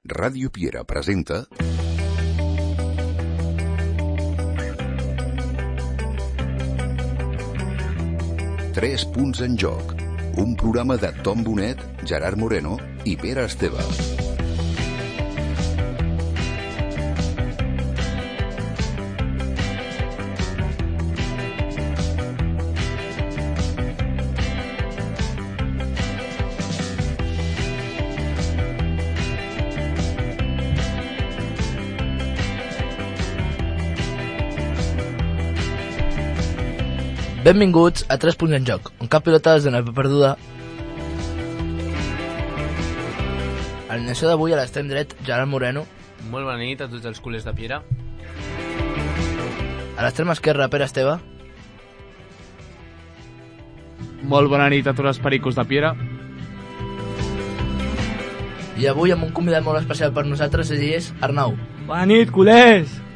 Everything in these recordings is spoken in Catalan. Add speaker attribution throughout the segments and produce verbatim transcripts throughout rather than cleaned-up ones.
Speaker 1: Ràdio Piera presenta Tres punts en joc, un programa de Tom Bonet, Gerard Moreno i Pere Esteve.
Speaker 2: Benvinguts a Tres punts en joc, on cap pilota es dona per perduda. A l'inició d'avui a l'extrem dret, Gerard Moreno.
Speaker 3: Molt bona nit a tots els culers de Piera.
Speaker 2: A l'extrem esquerre, Pere Esteve.
Speaker 4: Molt bona nit a tots els pericos de Piera.
Speaker 2: I avui amb un convidat molt especial per nosaltres, ell és Arnau.
Speaker 4: Bona nit, culers!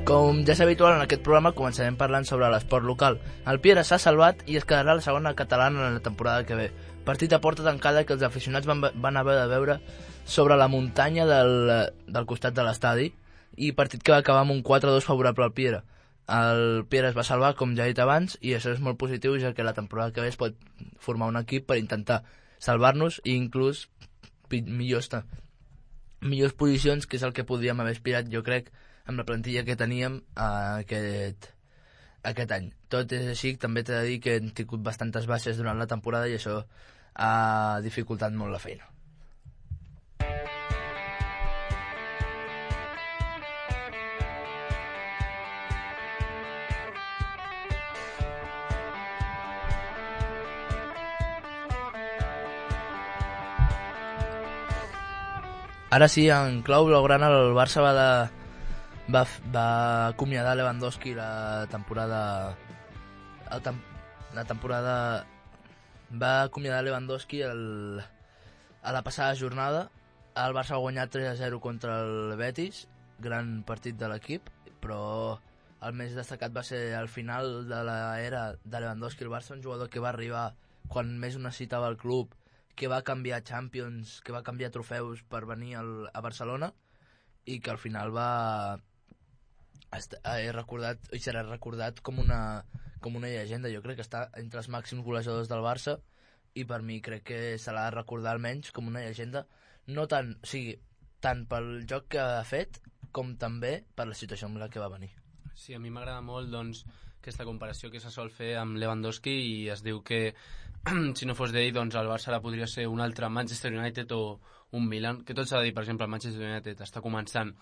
Speaker 2: Com ja és habitual en aquest programa, començarem parlant sobre l'esport local. El Piera s'ha salvat i es quedarà la segona catalana en la temporada que ve. Partit a porta tancada que els aficionats van, van haver de veure sobre la muntanya del, del costat de l'estadi, i partit que va acabar amb un quatre a dos favorable al Piera. El Piera es va salvar, com ja he dit abans, i això és molt positiu, ja que la temporada que ve es pot formar un equip per intentar salvar-nos i inclús millors, millors posicions, que és el que podríem haver aspirat, jo crec, amb la plantilla que teníem uh, aquest, aquest any. Tot és així, també t'he de dir que hem tingut bastantes baixes durant la temporada i això ha dificultat molt la feina. Ara sí, en clau blaugrana, el Barça va de Va, va acomiadar Lewandowski la temporada la, tem, la temporada va acomiadar Lewandowski el, a la passada jornada. El Barça ha guanyat tres a zero contra el Betis, gran partit de l'equip, però el més destacat va ser al final de l'era de Lewandowski el Barça, un jugador que va arribar quan més ho necessitava el club, que va canviar Champions, que va canviar trofeus per venir al, a Barcelona, i que al final va he recordat, i serà recordat com una, com una llegenda. Jo crec que està entre els màxims golejadors del Barça, i per mi crec que se l'ha de recordar almenys com una llegenda, no tant, o sigui, tant pel joc que ha fet com també per la situació amb la que va venir.
Speaker 3: Sí, a mi m'agrada molt, doncs, aquesta comparació que se sol fer amb Lewandowski, i es diu que si no fos d'ell, doncs el Barça ara podria ser un altre Manchester United o un Milan, que tot s'ha de dir. Per exemple, el Manchester United està començant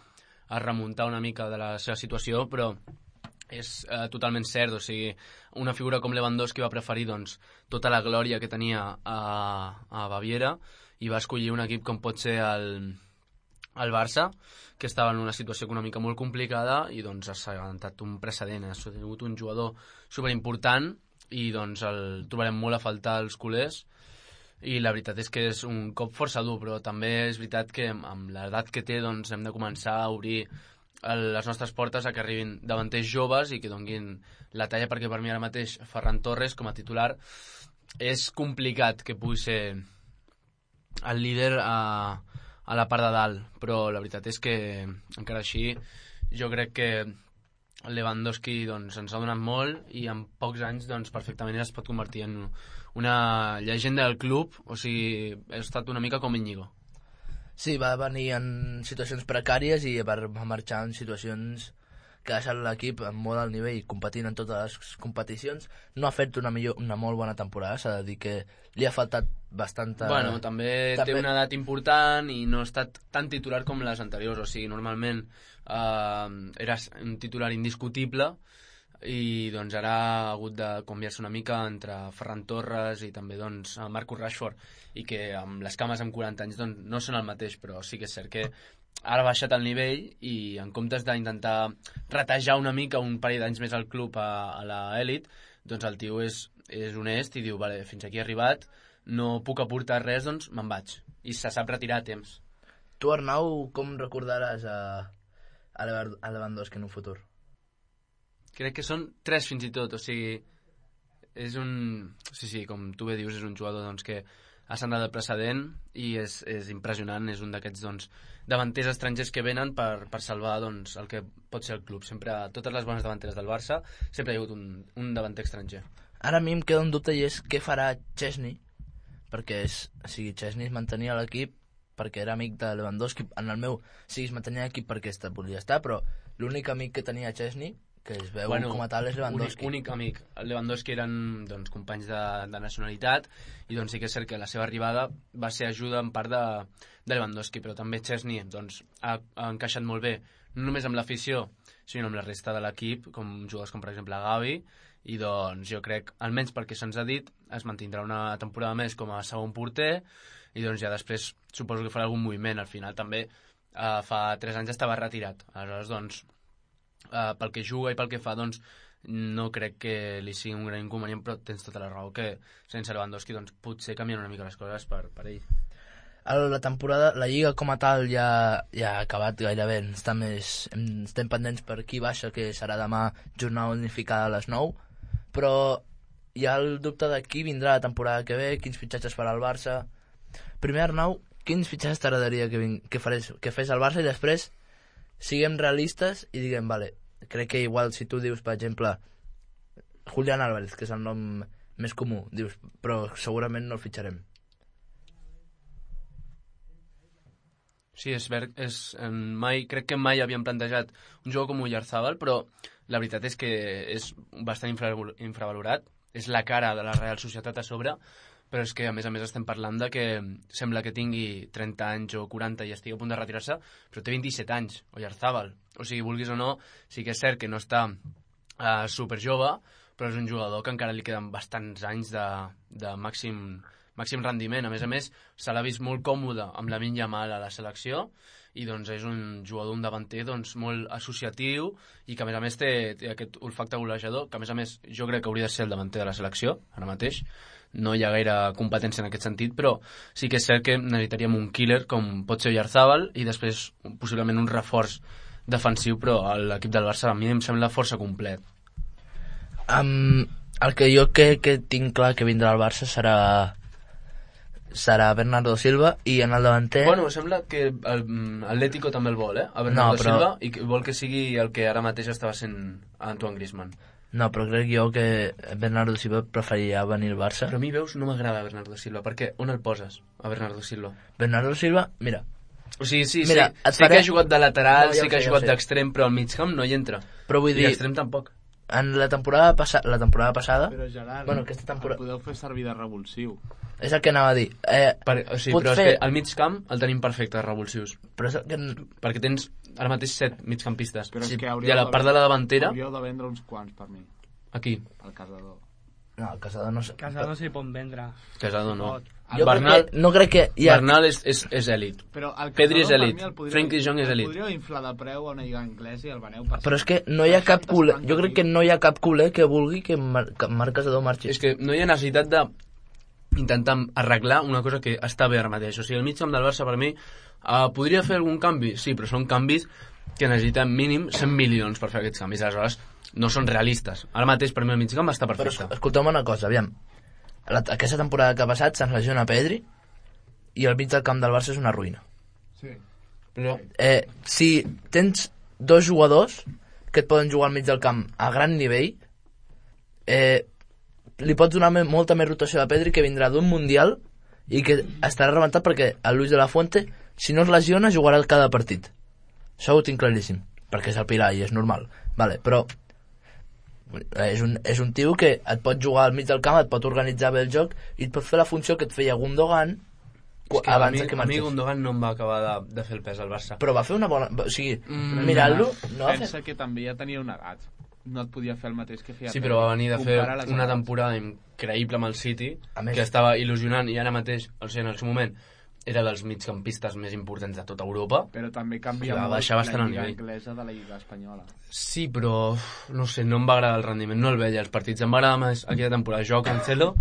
Speaker 3: a remuntar una mica de la seva situació, però és eh, totalment cert. O sigui, una figura com Lewandowski va preferir, doncs, tota la glòria que tenia a, a Baviera, i va escollir un equip com pot ser el, el Barça, que estava en una situació econòmica molt complicada, i doncs s'ha avançat un precedent, ha sigut un jugador superimportant, i doncs el trobarem molt a faltar els culers. I la veritat és que és un cop força dur, però també és veritat que amb l'edat que té, doncs hem de començar a obrir el, les nostres portes a que arribin davanters joves i que donguin la talla, perquè per mi ara mateix Ferran Torres com a titular és complicat que pugui ser el líder a, a la part de dalt, però la veritat és que encara així jo crec que Lewandowski doncs, ens ha donat molt, i en pocs anys doncs, perfectament es pot convertir en una llegenda del club. O sigui, ha estat una mica com Íñigo.
Speaker 2: Sí, va venir en situacions precàries i va marxar en situacions que ha deixat l'equip en molt alt nivell, competint en totes les competicions. No ha fet una, millor, una molt bona temporada, s'ha de dir que li ha faltat bastanta...
Speaker 3: Bueno, també, també té una edat important i no ha estat tan titular com les anteriors. O sigui, normalment eh, era un titular indiscutible, i doncs ara ha hagut de canviar-se una mica entre Ferran Torres i també doncs Marcus Rashford, i que amb les cames amb quaranta anys doncs, no són el mateix, però sí que és cert que ara ha baixat el nivell, i en comptes d'intentar ratejar una mica un parell d'anys més al club a, a l'elit, doncs el tio és, és honest i diu, vale, fins aquí he arribat, no puc aportar res, doncs me'n vaig, i se sap retirar a temps.
Speaker 2: Tu, Arnau, com recordaràs a, a Lewandowski en un futur?
Speaker 3: Crec que són tres fins i tot, o sigui, és un... Sí, sí, com tu bé dius, és un jugador doncs, que ha sentat el precedent i és, és impressionant, és un d'aquests doncs, davanters estrangers que venen per, per salvar doncs, el que pot ser el club. Sempre, totes les bones davanteres del Barça, sempre hi ha hagut un, un davanter estranger.
Speaker 2: Ara a mi em queda un dubte i és què farà Chesney, perquè és, o sigui, Chesney es mantenia a l'equip perquè era amic de Lewandowski. En el meu, sí, es mantenia a l'equip perquè esta volia estar, però l'únic amic que tenia Chesney, que es veu bueno, com a tal, és Lewandowski.
Speaker 3: Únic, únic amic. El Lewandowski eren doncs, companys de, de nacionalitat i doncs sí que és cert que la seva arribada va ser ajuda en part de, de Lewandowski, però també Chesney doncs, ha, ha encaixat molt bé, no només amb l'afició, sinó amb la resta de l'equip, com jugadors com per exemple Gavi, i doncs jo crec, almenys perquè se'ns ha dit, es mantindrà una temporada més com a segon porter i doncs ja després suposo que farà algun moviment. Al final també eh, fa tres anys estava retirat, aleshores doncs Uh, pel que juga i pel que fa, doncs no crec que li sigui un gran inconvenient, però tens tota la raó que sense Lewandowski doncs, potser canvien una mica les coses per, per ell.
Speaker 2: La temporada, la Lliga com a tal ja, ja ha acabat gairebé, està més, estem pendents per qui baixa, que serà demà jornada unificada a les nou, però hi ha el dubte de qui vindrà la temporada que ve, quins fitxatges farà el Barça. Primer, Arnau, quins fitxatges t'agradaria que, vin... que, farés, que fes el Barça, i després siguem realistes i diguem, vale, crec que igual si tu dius, per exemple, Julián Álvarez, que és el nom més comú, dius, però segurament no el fitxarem.
Speaker 3: Sí, és ver, és, mai, crec que mai havíem plantejat un jugador com Oyarzabal, però la veritat és que és bastant infravalorat, és la cara de la Real Societat a sobre, però és que a més a més estem parlant de que sembla que tingui trenta anys o quaranta i estigui a punt de retirar-se, però té vint-i-set anys, Oyarzabal. O sigui, vulguis o no, sí que és cert que no està uh, superjove, però és un jugador que encara li queden bastants anys de, de màxim, màxim rendiment. A més a més, se l'ha vist molt còmode amb la Lamine Yamal a la selecció, i doncs és un jugador, un davanter doncs, molt associatiu i que a més a més té, té aquest olfacte golejador, que a més a més jo crec que hauria de ser el davanter de la selecció, ara mateix. No hi ha gaire competència en aquest sentit, però sí que és cert que necessitaríem un killer com pot ser Oyarzabal i després possiblement un reforç defensiu, però l'equip del Barça a mi em sembla força complet.
Speaker 2: Um, el que jo que, que tinc clar que vindrà al Barça serà serà Bernardo Silva, i en el davanter...
Speaker 3: Bueno, sembla que l'Atlético també el vol, eh? A Bernardo no, però... Silva, i vol que sigui el que ara mateix estava sent Antoine Griezmann.
Speaker 2: No, però crec jo que Bernardo Silva preferiria venir al Barça.
Speaker 3: Però a mi, veus, no m'agrada Bernardo Silva. Per què? On el poses, a Bernardo Silva?
Speaker 2: Bernardo Silva, mira...
Speaker 3: O sigui, sí,
Speaker 2: mira,
Speaker 3: sí, sí faré... que ha jugat de lateral, no, ja sí que ha jugat ja d'extrem, però al migcamp no hi entra.
Speaker 2: Però vull dir...
Speaker 3: I l'extrem tampoc.
Speaker 2: En la temporada, passa... la temporada passada...
Speaker 4: Però Gerard,
Speaker 2: bueno, aquesta temporada...
Speaker 4: el podeu fer servir de revulsiu.
Speaker 2: És el que anava a dir. Eh,
Speaker 3: per, o sigui, però fer... és que al migcamp el tenim perfecte, de revulsius.
Speaker 2: Però és el que...
Speaker 3: Perquè tens ara mateix set migcampistes.
Speaker 4: Però és
Speaker 3: sí.
Speaker 4: que
Speaker 3: I a la part de la davantera...
Speaker 4: Hauríeu de vendre uns quants, per mi.
Speaker 3: Aquí.
Speaker 4: El Casador.
Speaker 2: No, el Casador no...
Speaker 5: Casador s'hi pot vendre.
Speaker 3: Casador no.
Speaker 2: Jo Bernal, crec que, no crec que... Ja...
Speaker 3: Bernal és, és, és èlit. Pedri és èlit. Frenkie de Jong és èlit.
Speaker 4: El podríeu inflar de preu a una lliga anglesa i el veneu per...
Speaker 2: Però és que no hi ha cap culer... Jo crec que no hi ha cap culer que vulgui que, Mar... que Marc Casador marxi.
Speaker 3: És que no hi ha necessitat de intentar arreglar una cosa que està bé ara mateix. O sigui, el migcamp del Barça per mi uh, podria fer algun canvi? Sí, però són canvis que necessiten mínim cent milions per fer aquests canvis. Aleshores, no són realistes. Ara mateix per mi el migcamp està perfecte.
Speaker 2: Però escolteu-me una cosa, aviam. La, aquesta temporada que ha passat se'ns lesiona Pedri i el mig del camp del Barça és una ruïna.
Speaker 4: Sí.
Speaker 2: Però... Eh, si tens dos jugadors que et poden jugar al mig del camp a gran nivell, eh, li pots donar me, molta més rotació a Pedri, que vindrà d'un Mundial i que estarà rebentat perquè el Luis de la Fuente, si no es lesiona, jugarà cada partit. Això ho tinc claríssim, perquè és el pilar i és normal. Vale, però és un, és un tio que et pot jugar al mig del camp, et pot organitzar bé el joc i et pot fer la funció que et feia Gundogan
Speaker 3: que abans mi, que marxés. A mi Gundogan no em va acabar de, de fer el pes al Barça.
Speaker 2: Però va fer una bona... O sigui, mm, mirant-lo... No
Speaker 4: pensa que també ja tenia una edat. No et podia fer el mateix que feia.
Speaker 3: Sí, però va venir de fer una temporada increïble amb el City, que estava il·lusionant, i ara mateix, o sigui, en el seu moment, era dels migcampistes més importants de tota Europa.
Speaker 4: Però també canvia molt la lliga anglesa de la lliga espanyola.
Speaker 3: Sí, però no sé, no em va agradar el rendiment, no el veia els partits. Em va agradar més aquella temporada Jo Cancelo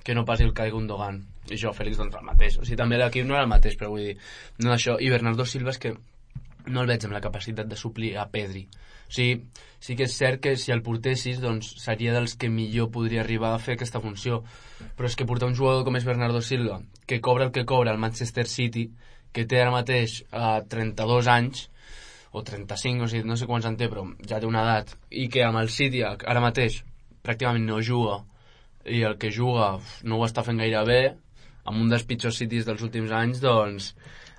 Speaker 3: que no passi el Kai Gundogan. I jo, Félix, doncs el mateix. O sigui, també l'equip no era el mateix, però vull dir, no això. I Bernardo Silva és que no el veig amb la capacitat de suplir a Pedri. O sigui, sí que és cert que si el portessis, doncs seria dels que millor podria arribar a fer aquesta funció. Però és que portar un jugador com és Bernardo Silva, que cobra el que cobra al Manchester City, que té ara mateix eh, trenta-dos anys, o trenta-cinc, o sigui, no sé quants en té, però ja té una edat, i que amb el City ara mateix pràcticament no juga, i el que juga no ho està fent gaire bé, amb un dels pitjors Cities dels últims anys, doncs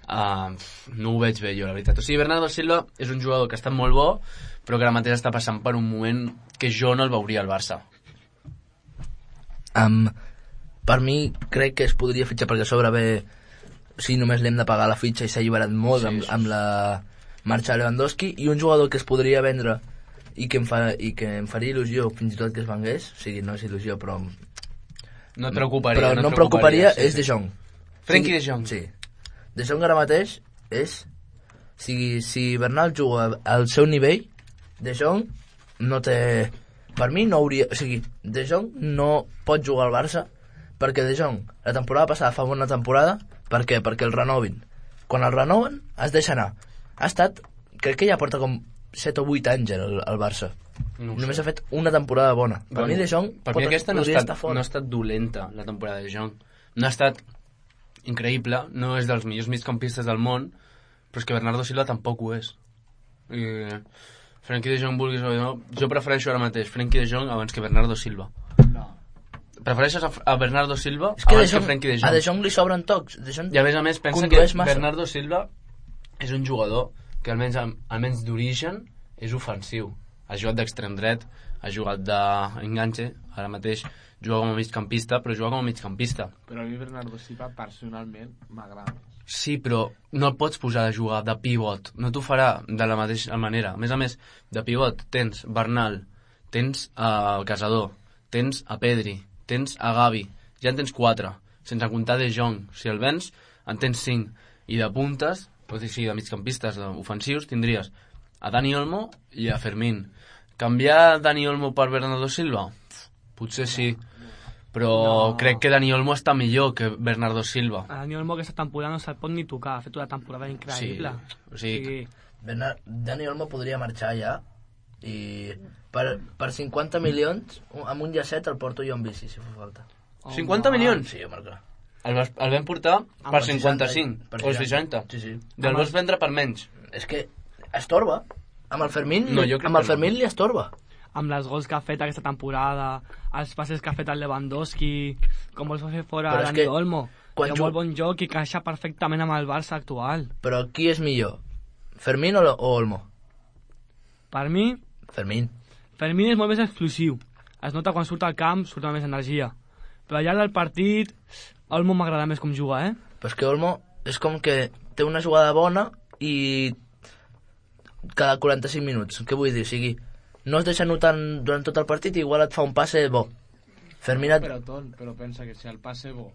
Speaker 3: uh, no ho veig bé jo, la veritat. O sigui, Bernardo Silva és un jugador que ha estat molt bo, però que ara mateix està passant per un moment que jo no el veuria al Barça.
Speaker 2: Um, per mi crec que es podria fitxar perquè a sobre ve, si només l'hem de pagar la fitxa i s'ha alliberat molt sí, amb, amb la marxa de Lewandowski, i un jugador que es podria vendre i que em, fa, i que em faria il·lusió fins i tot que es vengués, o sigui, no és il·lusió però
Speaker 3: no et preocuparia,
Speaker 2: però
Speaker 3: no,
Speaker 2: no em preocuparia,
Speaker 3: sí,
Speaker 2: és De Jong.
Speaker 3: Frenkie De Jong.
Speaker 2: Sí. De Jong ara mateix és, o sigui, si Bernal juga al seu nivell, De Jong no té, per mi no hauria, o sigui, De Jong no pot jugar al Barça perquè De Jong la temporada passada fa bona temporada. Per què? Perquè el renovin. Quan el renoven es deixa anar. Ha estat, crec que ja porta com set o vuit anys al, al Barça. No Només ha fet una temporada bona. Per bueno, mi De Jong
Speaker 3: per mi aquesta no ha, estat, no ha estat dolenta, la temporada de De Jong. No ha estat increïble, no és dels millors migcampistes del món, però és que Bernardo Silva tampoc ho és. I Frenkie De Jong, vulguis o no, jo prefereixo ara mateix Frenkie De Jong abans que Bernardo Silva.
Speaker 4: No.
Speaker 3: Prefereixes a, a Bernardo Silva
Speaker 2: és que
Speaker 3: abans
Speaker 2: Jong,
Speaker 3: que Frenkie De Jong.
Speaker 2: A De Jong li sobren tocs. De Jong
Speaker 3: I a més a més pensa que massa. Bernardo Silva és un jugador que almenys, almenys d'origen és ofensiu. Ha jugat d'extrem dret, ha jugat d'enganxe, ara mateix juga com a migcampista, però juga com a migcampista.
Speaker 4: Però a mi Bernardo Silva personalment m'agrada.
Speaker 3: Sí, però no el pots posar a jugar de pivot, no t'ho farà de la mateixa manera. A més a més, de pivot tens Bernal, tens a uh, Casador, tens a Pedri, tens a Gavi, ja en tens quatre, sense comptar De Jong. Si el vens, en tens cinc. I de puntes, o sigui, de migcampistes ofensius, tindries a Dani Olmo i a Fermín. Canviar Dani Olmo per Bernardo Silva? Potser sí, però no. Crec que Dani Olmo està millor que Bernardo Silva.
Speaker 5: A Dani Olmo aquesta temporada no se'l pot ni tocar, ha fet una temporada increïble.
Speaker 3: Sí, o sigui...
Speaker 2: sí. Dani Olmo podria marxar ja i per, per cinquanta milions amb un llacet el porto jo en bici, si fa falta.
Speaker 3: Oh, cinquanta
Speaker 2: man.
Speaker 3: milions?
Speaker 2: Sí, home, clar.
Speaker 3: El, vas, el vam portar amb per cinquanta-cinc
Speaker 2: per
Speaker 3: o seixanta.
Speaker 2: Sí, sí.
Speaker 3: Del vas vendre per menys.
Speaker 2: És que estorba. Amb el Fermín,
Speaker 3: no,
Speaker 2: amb el Fermín li estorba.
Speaker 5: Amb les gols que ha fet aquesta temporada, els passes que ha fet el Lewandowski, com vols fer fora Dani Olmo. Té un molt bon joc i caixa perfectament amb el Barça actual.
Speaker 2: Però qui és millor? Fermín o, o Olmo?
Speaker 5: Per mi...
Speaker 2: Fermín.
Speaker 5: Fermín és molt més explosiu. Es nota quan surt al camp, surt amb més energia. Però al llarg del partit, Olmo m'agrada més com juga, eh?
Speaker 2: Però és que Olmo és com que té una jugada bona i cada quaranta-cinc minuts. Què vull dir? O sigui, no es deixa notar durant tot el partit i igual et fa un passe bo. Fermín et...
Speaker 4: Però, ton, però pensa que si el passe bo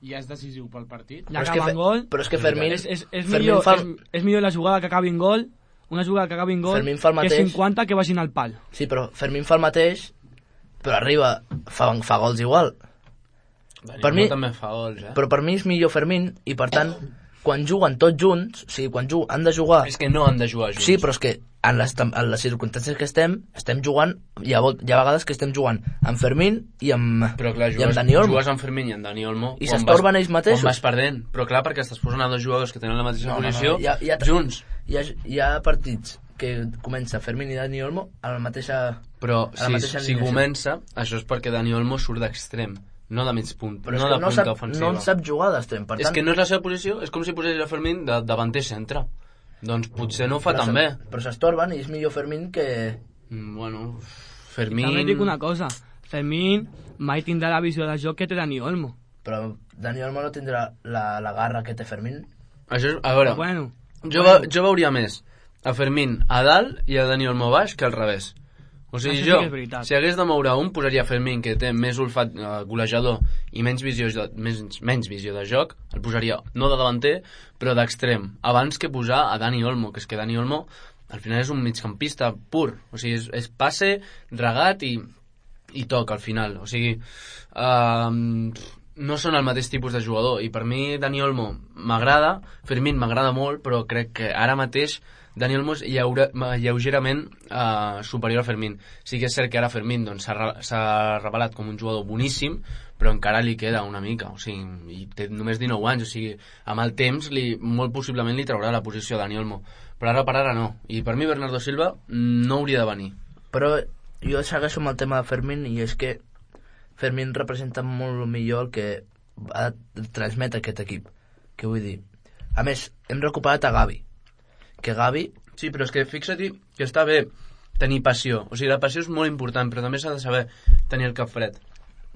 Speaker 4: ja és decisiu pel partit...
Speaker 5: Ja acaba en gol...
Speaker 2: Però és que Fermín...
Speaker 5: És, és, és, millor, fa... és, és millor la jugada que acabi en gol, una jugada que acabi en gol, que cinquanta que vagin al pal.
Speaker 2: Sí, però Fermín fa el mateix, però arriba, fa, fa gols igual.
Speaker 3: Dani
Speaker 2: per mi
Speaker 3: també fa gols, eh?
Speaker 2: Però per mi és millor Fermín i per tant quan juguen tots junts, o sigui, quan juguen, han de jugar...
Speaker 3: És que no han de jugar junts.
Speaker 2: Sí, però és que en les, en les circumstàncies que estem, estem jugant, hi ha, hi ha vegades que estem jugant amb Fermín i amb,
Speaker 3: però clar, jugues,
Speaker 2: i amb Dani Olmo.
Speaker 3: Jugues amb Fermín i amb Dani Olmo...
Speaker 2: I s'estorben ells mateixos.
Speaker 3: Quan vas perdent. Però clar, perquè estàs posant a dos jugadors que tenen la mateixa no, posició, no, no. Hi ha, hi ha, junts.
Speaker 2: Hi ha, hi ha partits que comença Fermín i Dani Olmo a la mateixa...
Speaker 3: Però
Speaker 2: a la
Speaker 3: si,
Speaker 2: mateixa
Speaker 3: si comença, això és perquè Dani Olmo surt d'extrem. No de mig punt,
Speaker 2: però
Speaker 3: no de
Speaker 2: no
Speaker 3: punta
Speaker 2: sap,
Speaker 3: ofensiva.
Speaker 2: No en sap jugar d'extrem, per
Speaker 3: és
Speaker 2: tant...
Speaker 3: que no és la seva posició, és com si posés a Fermín de davanter centre. Doncs potser no ho fa
Speaker 2: però
Speaker 3: tan bé.
Speaker 2: Però s'estorben i és millor Fermín que...
Speaker 3: Mm, bueno, Fermín...
Speaker 5: També dic una cosa, Fermín mai tindrà la visió de joc que té Dani Olmo.
Speaker 2: Però Dani Olmo no tindrà la, la garra que té Fermín.
Speaker 3: Això és, a veure,
Speaker 5: bueno,
Speaker 3: jo,
Speaker 5: bueno.
Speaker 3: jo veuria més a Fermín a dalt i a Dani Olmo baix que al revés. O sigui,
Speaker 5: sí
Speaker 3: jo,
Speaker 5: si
Speaker 3: hagués de moure un, posaria Fermín, que té més olfat uh, golejador i menys visió, de, més, menys visió de joc, el posaria no de davanter, però d'extrem, abans que posar a Dani Olmo, que és que Dani Olmo al final és un migcampista pur, o sigui, és, és passe, regat i, i toc al final, o sigui, uh, no són el mateix tipus de jugador, i per mi Dani Olmo m'agrada, Fermín m'agrada molt, però crec que ara mateix Dani Olmo és lleure, lleugerament uh, superior a Fermín. Sí que és cert que ara Fermín doncs, s'ha revelat com un jugador boníssim, però encara li queda una mica, o sigui, i té només dinou anys, o sigui, amb el temps li, molt possiblement li traurà la posició a Dani Olmo, però ara per ara no, i per mi Bernardo Silva no hauria de venir.
Speaker 2: Però jo segueixo amb el tema de Fermín, i és que Fermín representa molt millor el que ha de transmetre aquest equip, que vull dir, a més, hem recuperat a Gavi, que Gavi...
Speaker 3: Sí, però és que fixa-t'hi que està bé tenir passió, o sigui, la passió és molt important, però també s'ha de saber tenir el cap fred.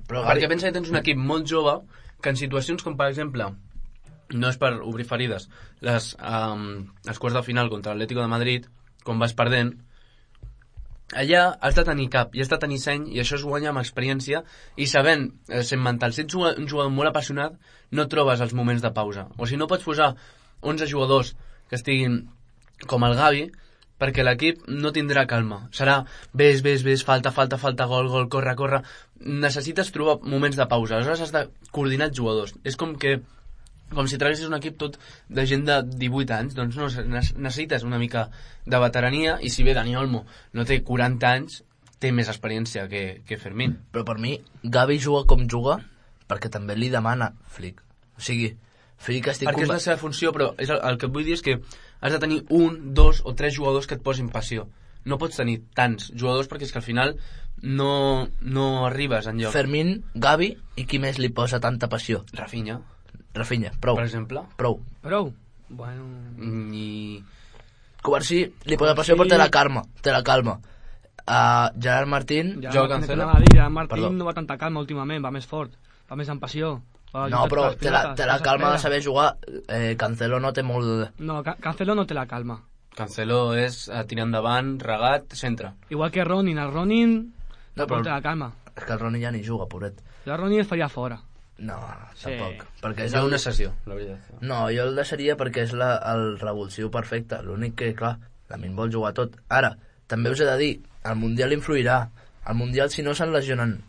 Speaker 3: Però Gavi... Perquè pensa que tens un equip molt jove que en situacions com, per exemple, no és per obrir ferides, les, um, els quarts de final contra l'Atlético de Madrid, quan vas perdent, allà has de tenir cap i has de tenir seny, i això es guanya amb experiència i sabent, eh, sent mental. Si ets un jugador molt apassionat, no trobes els moments de pausa, o si no pots posar onze jugadors que estiguin com el Gavi, perquè l'equip no tindrà calma, serà ves, ves, ves, falta, falta, falta, gol, gol, corre, corre. Necessites trobar moments de pausa, aleshores has de coordinar els jugadors. És com que com si traguessis un equip tot de gent de divuit anys, doncs no, necessites una mica de veterania, i si bé Dani Olmo no té quaranta anys, té més experiència que, que Fermín.
Speaker 2: Però per mi, Gavi juga com juga perquè també li demana Flick. O sigui, Flick estic...
Speaker 3: Perquè és la seva funció, però és el, el que et vull dir és que has de tenir un, dos o tres jugadors que et posin passió. No pots tenir tants jugadors perquè és que al final no, no arribes enlloc.
Speaker 2: Fermín, Gavi, i qui més li posa tanta passió?
Speaker 3: Rafinha.
Speaker 2: Rafinha, prou.
Speaker 3: Per exemple?
Speaker 2: Prou.
Speaker 5: Prou? Bueno...
Speaker 3: I...
Speaker 2: Covarsí li posa passió però té la calma. Té la calma. Uh, Gerard Martín...
Speaker 5: Ja,
Speaker 3: jo
Speaker 5: Cancelo. Gerard Martín Perdó. No va tanta calma últimament, va més fort, va més amb passió.
Speaker 2: No, però té la, té la calma de saber jugar. Eh, Cancelo no té molt...
Speaker 5: No, Cancelo no té la calma.
Speaker 3: Cancelo és uh, tirar endavant, regat, centre.
Speaker 5: Igual que Ronin, el Ronin
Speaker 2: no, però
Speaker 5: té la calma.
Speaker 2: És que el Ronin ja ni juga, pobret.
Speaker 5: El Ronin es faria fora.
Speaker 2: No,
Speaker 5: sí.
Speaker 2: tampoc. Perquè és
Speaker 3: el...
Speaker 2: una
Speaker 3: sessió, la veritat.
Speaker 2: No, jo el deixaria perquè és la, el revulsiu perfecte. L'únic que, clar, Lamin vol jugar tot. Ara, també us he de dir, el Mundial influirà. El Mundial, si no se'n lesionen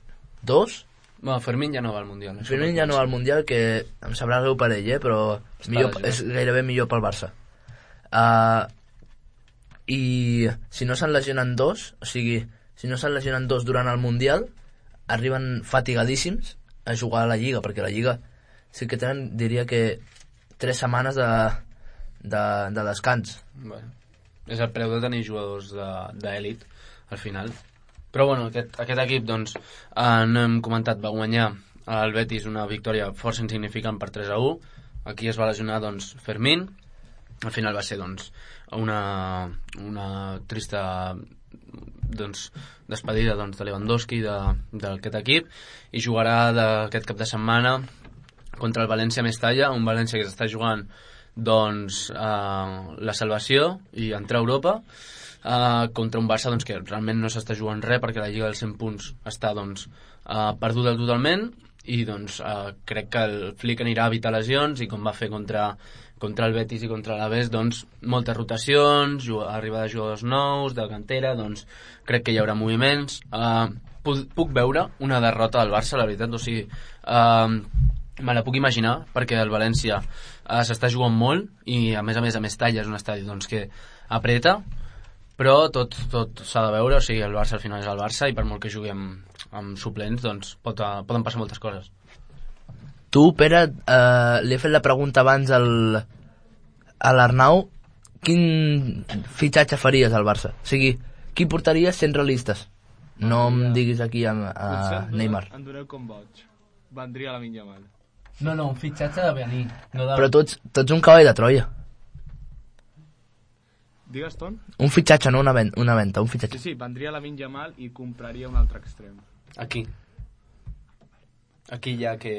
Speaker 2: dos...
Speaker 3: Bueno, Fermín ja no va al Mundial.
Speaker 2: Fermín ja no va al Mundial, que em sabrà greu per ell, eh? Però millor, és gairebé millor pel Barça. Uh, I si no se'n lesionen dos, o sigui, si no se'n lesionen dos durant el Mundial, arriben fatigadíssims a jugar a la Lliga, perquè la Lliga sí que tenen, diria que tres setmanes de, de, de descans.
Speaker 3: Bueno, és el preu de tenir jugadors d'èlit al final. Però bueno, aquest, aquest equip, doncs, eh, no hem comentat, va guanyar el Betis una victòria força insignificant per tres a u. Aquí es va lesionar, doncs, Fermín. Al final va ser, doncs, una, una trista doncs, despedida doncs, de Lewandowski d'aquest equip, i jugarà d'aquest cap de setmana contra el València Mestalla, un València que s'està jugant doncs, eh, la salvació i entrar a Europa, eh, contra un Barça doncs, que realment no s'està jugant res perquè la Lliga dels cent punts està doncs, eh, perduda totalment, i doncs, eh, crec que el Flick anirà a evitar lesions, i com va fer contra contra el Betis i contra l'Alavés, doncs, moltes rotacions, arribada de jugadors nous, de cantera, doncs, crec que hi haurà moviments. Uh, puc, puc veure una derrota del Barça, la veritat, o sigui, uh, me la puc imaginar, perquè el València uh, s'està jugant molt, i a més a més a Mestalla és un estadi doncs, que apreta, però tot, tot s'ha de veure, o sigui, el Barça al final és el Barça, i per molt que jugui amb, amb suplents, doncs, pot, uh, poden passar moltes coses.
Speaker 2: Tu, Pere, eh, li he fet la pregunta abans al, a l'Arnau, quin fitxatge faries al Barça? O sigui, qui portaries sent realistes? No em diguis aquí a, a Neymar.
Speaker 4: En doneu com boig. Vendria Lamine Yamal.
Speaker 3: No, no, un fitxatge de venir. No de...
Speaker 2: Però tu ets, tu ets un cavall de Troia.
Speaker 4: Digues, Ton?
Speaker 2: Un fitxatge, no una, ven una venta, un fitxatge.
Speaker 4: Sí, sí, vendria Lamine Yamal i compraria un altre extrem.
Speaker 3: Aquí. Aquí ja que...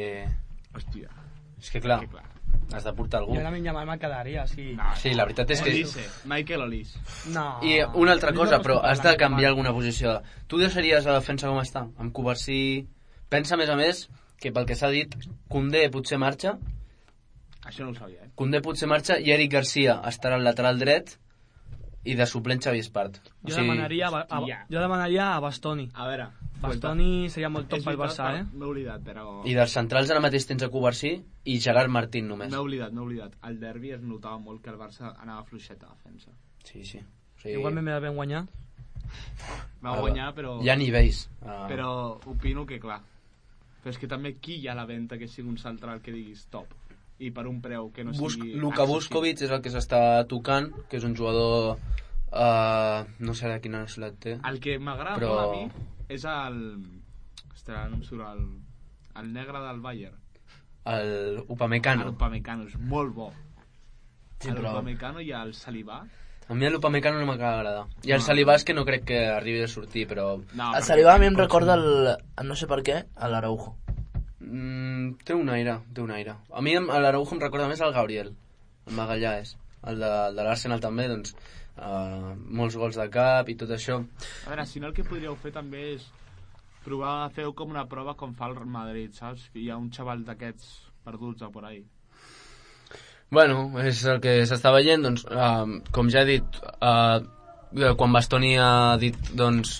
Speaker 4: Hòstia.
Speaker 3: És que clar,
Speaker 4: que clar.
Speaker 3: has de portar algú.
Speaker 5: Jo Lamine Yamal me'n quedaria, sí.
Speaker 4: No,
Speaker 3: sí, la veritat és que...
Speaker 4: Olise, Michael Olise.
Speaker 5: No.
Speaker 3: I una altra cosa, però has de canviar alguna posició. Tu deixaries la defensa com està? Amb Covarsí... Pensa, a més a més, que pel que s'ha dit, Koundé potser marxa.
Speaker 4: Això no ho sabia, eh?
Speaker 3: Koundé potser marxa i Eric Garcia estarà al lateral dret i de suplent Xavi Espart.
Speaker 5: Jo, o sigui... demanaria, a, a, jo demanaria a Bastoni.
Speaker 4: A veure...
Speaker 5: Bastoni seria molt top pel Barça, eh?
Speaker 4: M'he oblidat, però...
Speaker 3: I dels centrals ara mateix tens a Covarsí i Gerard Martín només.
Speaker 4: M'he oblidat, m'he oblidat. Al derbi es notava molt que el Barça anava fluixet a defensa.
Speaker 3: Sí, sí. O sigui...
Speaker 5: Igualment me la vam guanyar.
Speaker 4: Va guanyar, però...
Speaker 3: Hi ha nivells.
Speaker 4: Uh... Però opino que, clar, però és que també qui hi ha a la venda que sigui un central que diguis top? I per un preu que no
Speaker 3: Bus
Speaker 4: sigui...
Speaker 3: Luka Vuskovic és el que s'està tocant, que és un jugador... Uh, no sé de quina nacionalitat té.
Speaker 4: El que m'agrada però... molt a mi és el... Ostres, no em surt el... El negre del Bayern.
Speaker 3: El Upamecano.
Speaker 4: El Upamecano és molt bo.
Speaker 2: Sí,
Speaker 4: el
Speaker 2: però...
Speaker 4: Upamecano i el Salibà.
Speaker 3: A mi l'Upamecano no m'acaba d'agradar. I el no. Salibà és que no crec que arribi a sortir, però...
Speaker 2: No, el Salibà a mi em recorda el... No sé per què, a l'Araujo.
Speaker 3: Mm, té un aire, té un aire. A mi l'Araujo em recorda més al Gabriel. El Magallanes. El de, el de l'Arsenal també, doncs... Uh, molts gols de cap i tot això.
Speaker 4: A veure, si no el que podríeu fer també és provar a fer com una prova com fa el Madrid, saps? Hi ha un xaval d'aquests perduts a por ahí.
Speaker 3: Bueno, és el que s'està veient, doncs, uh, com ja he dit, uh, quan Bastoni ha dit, doncs,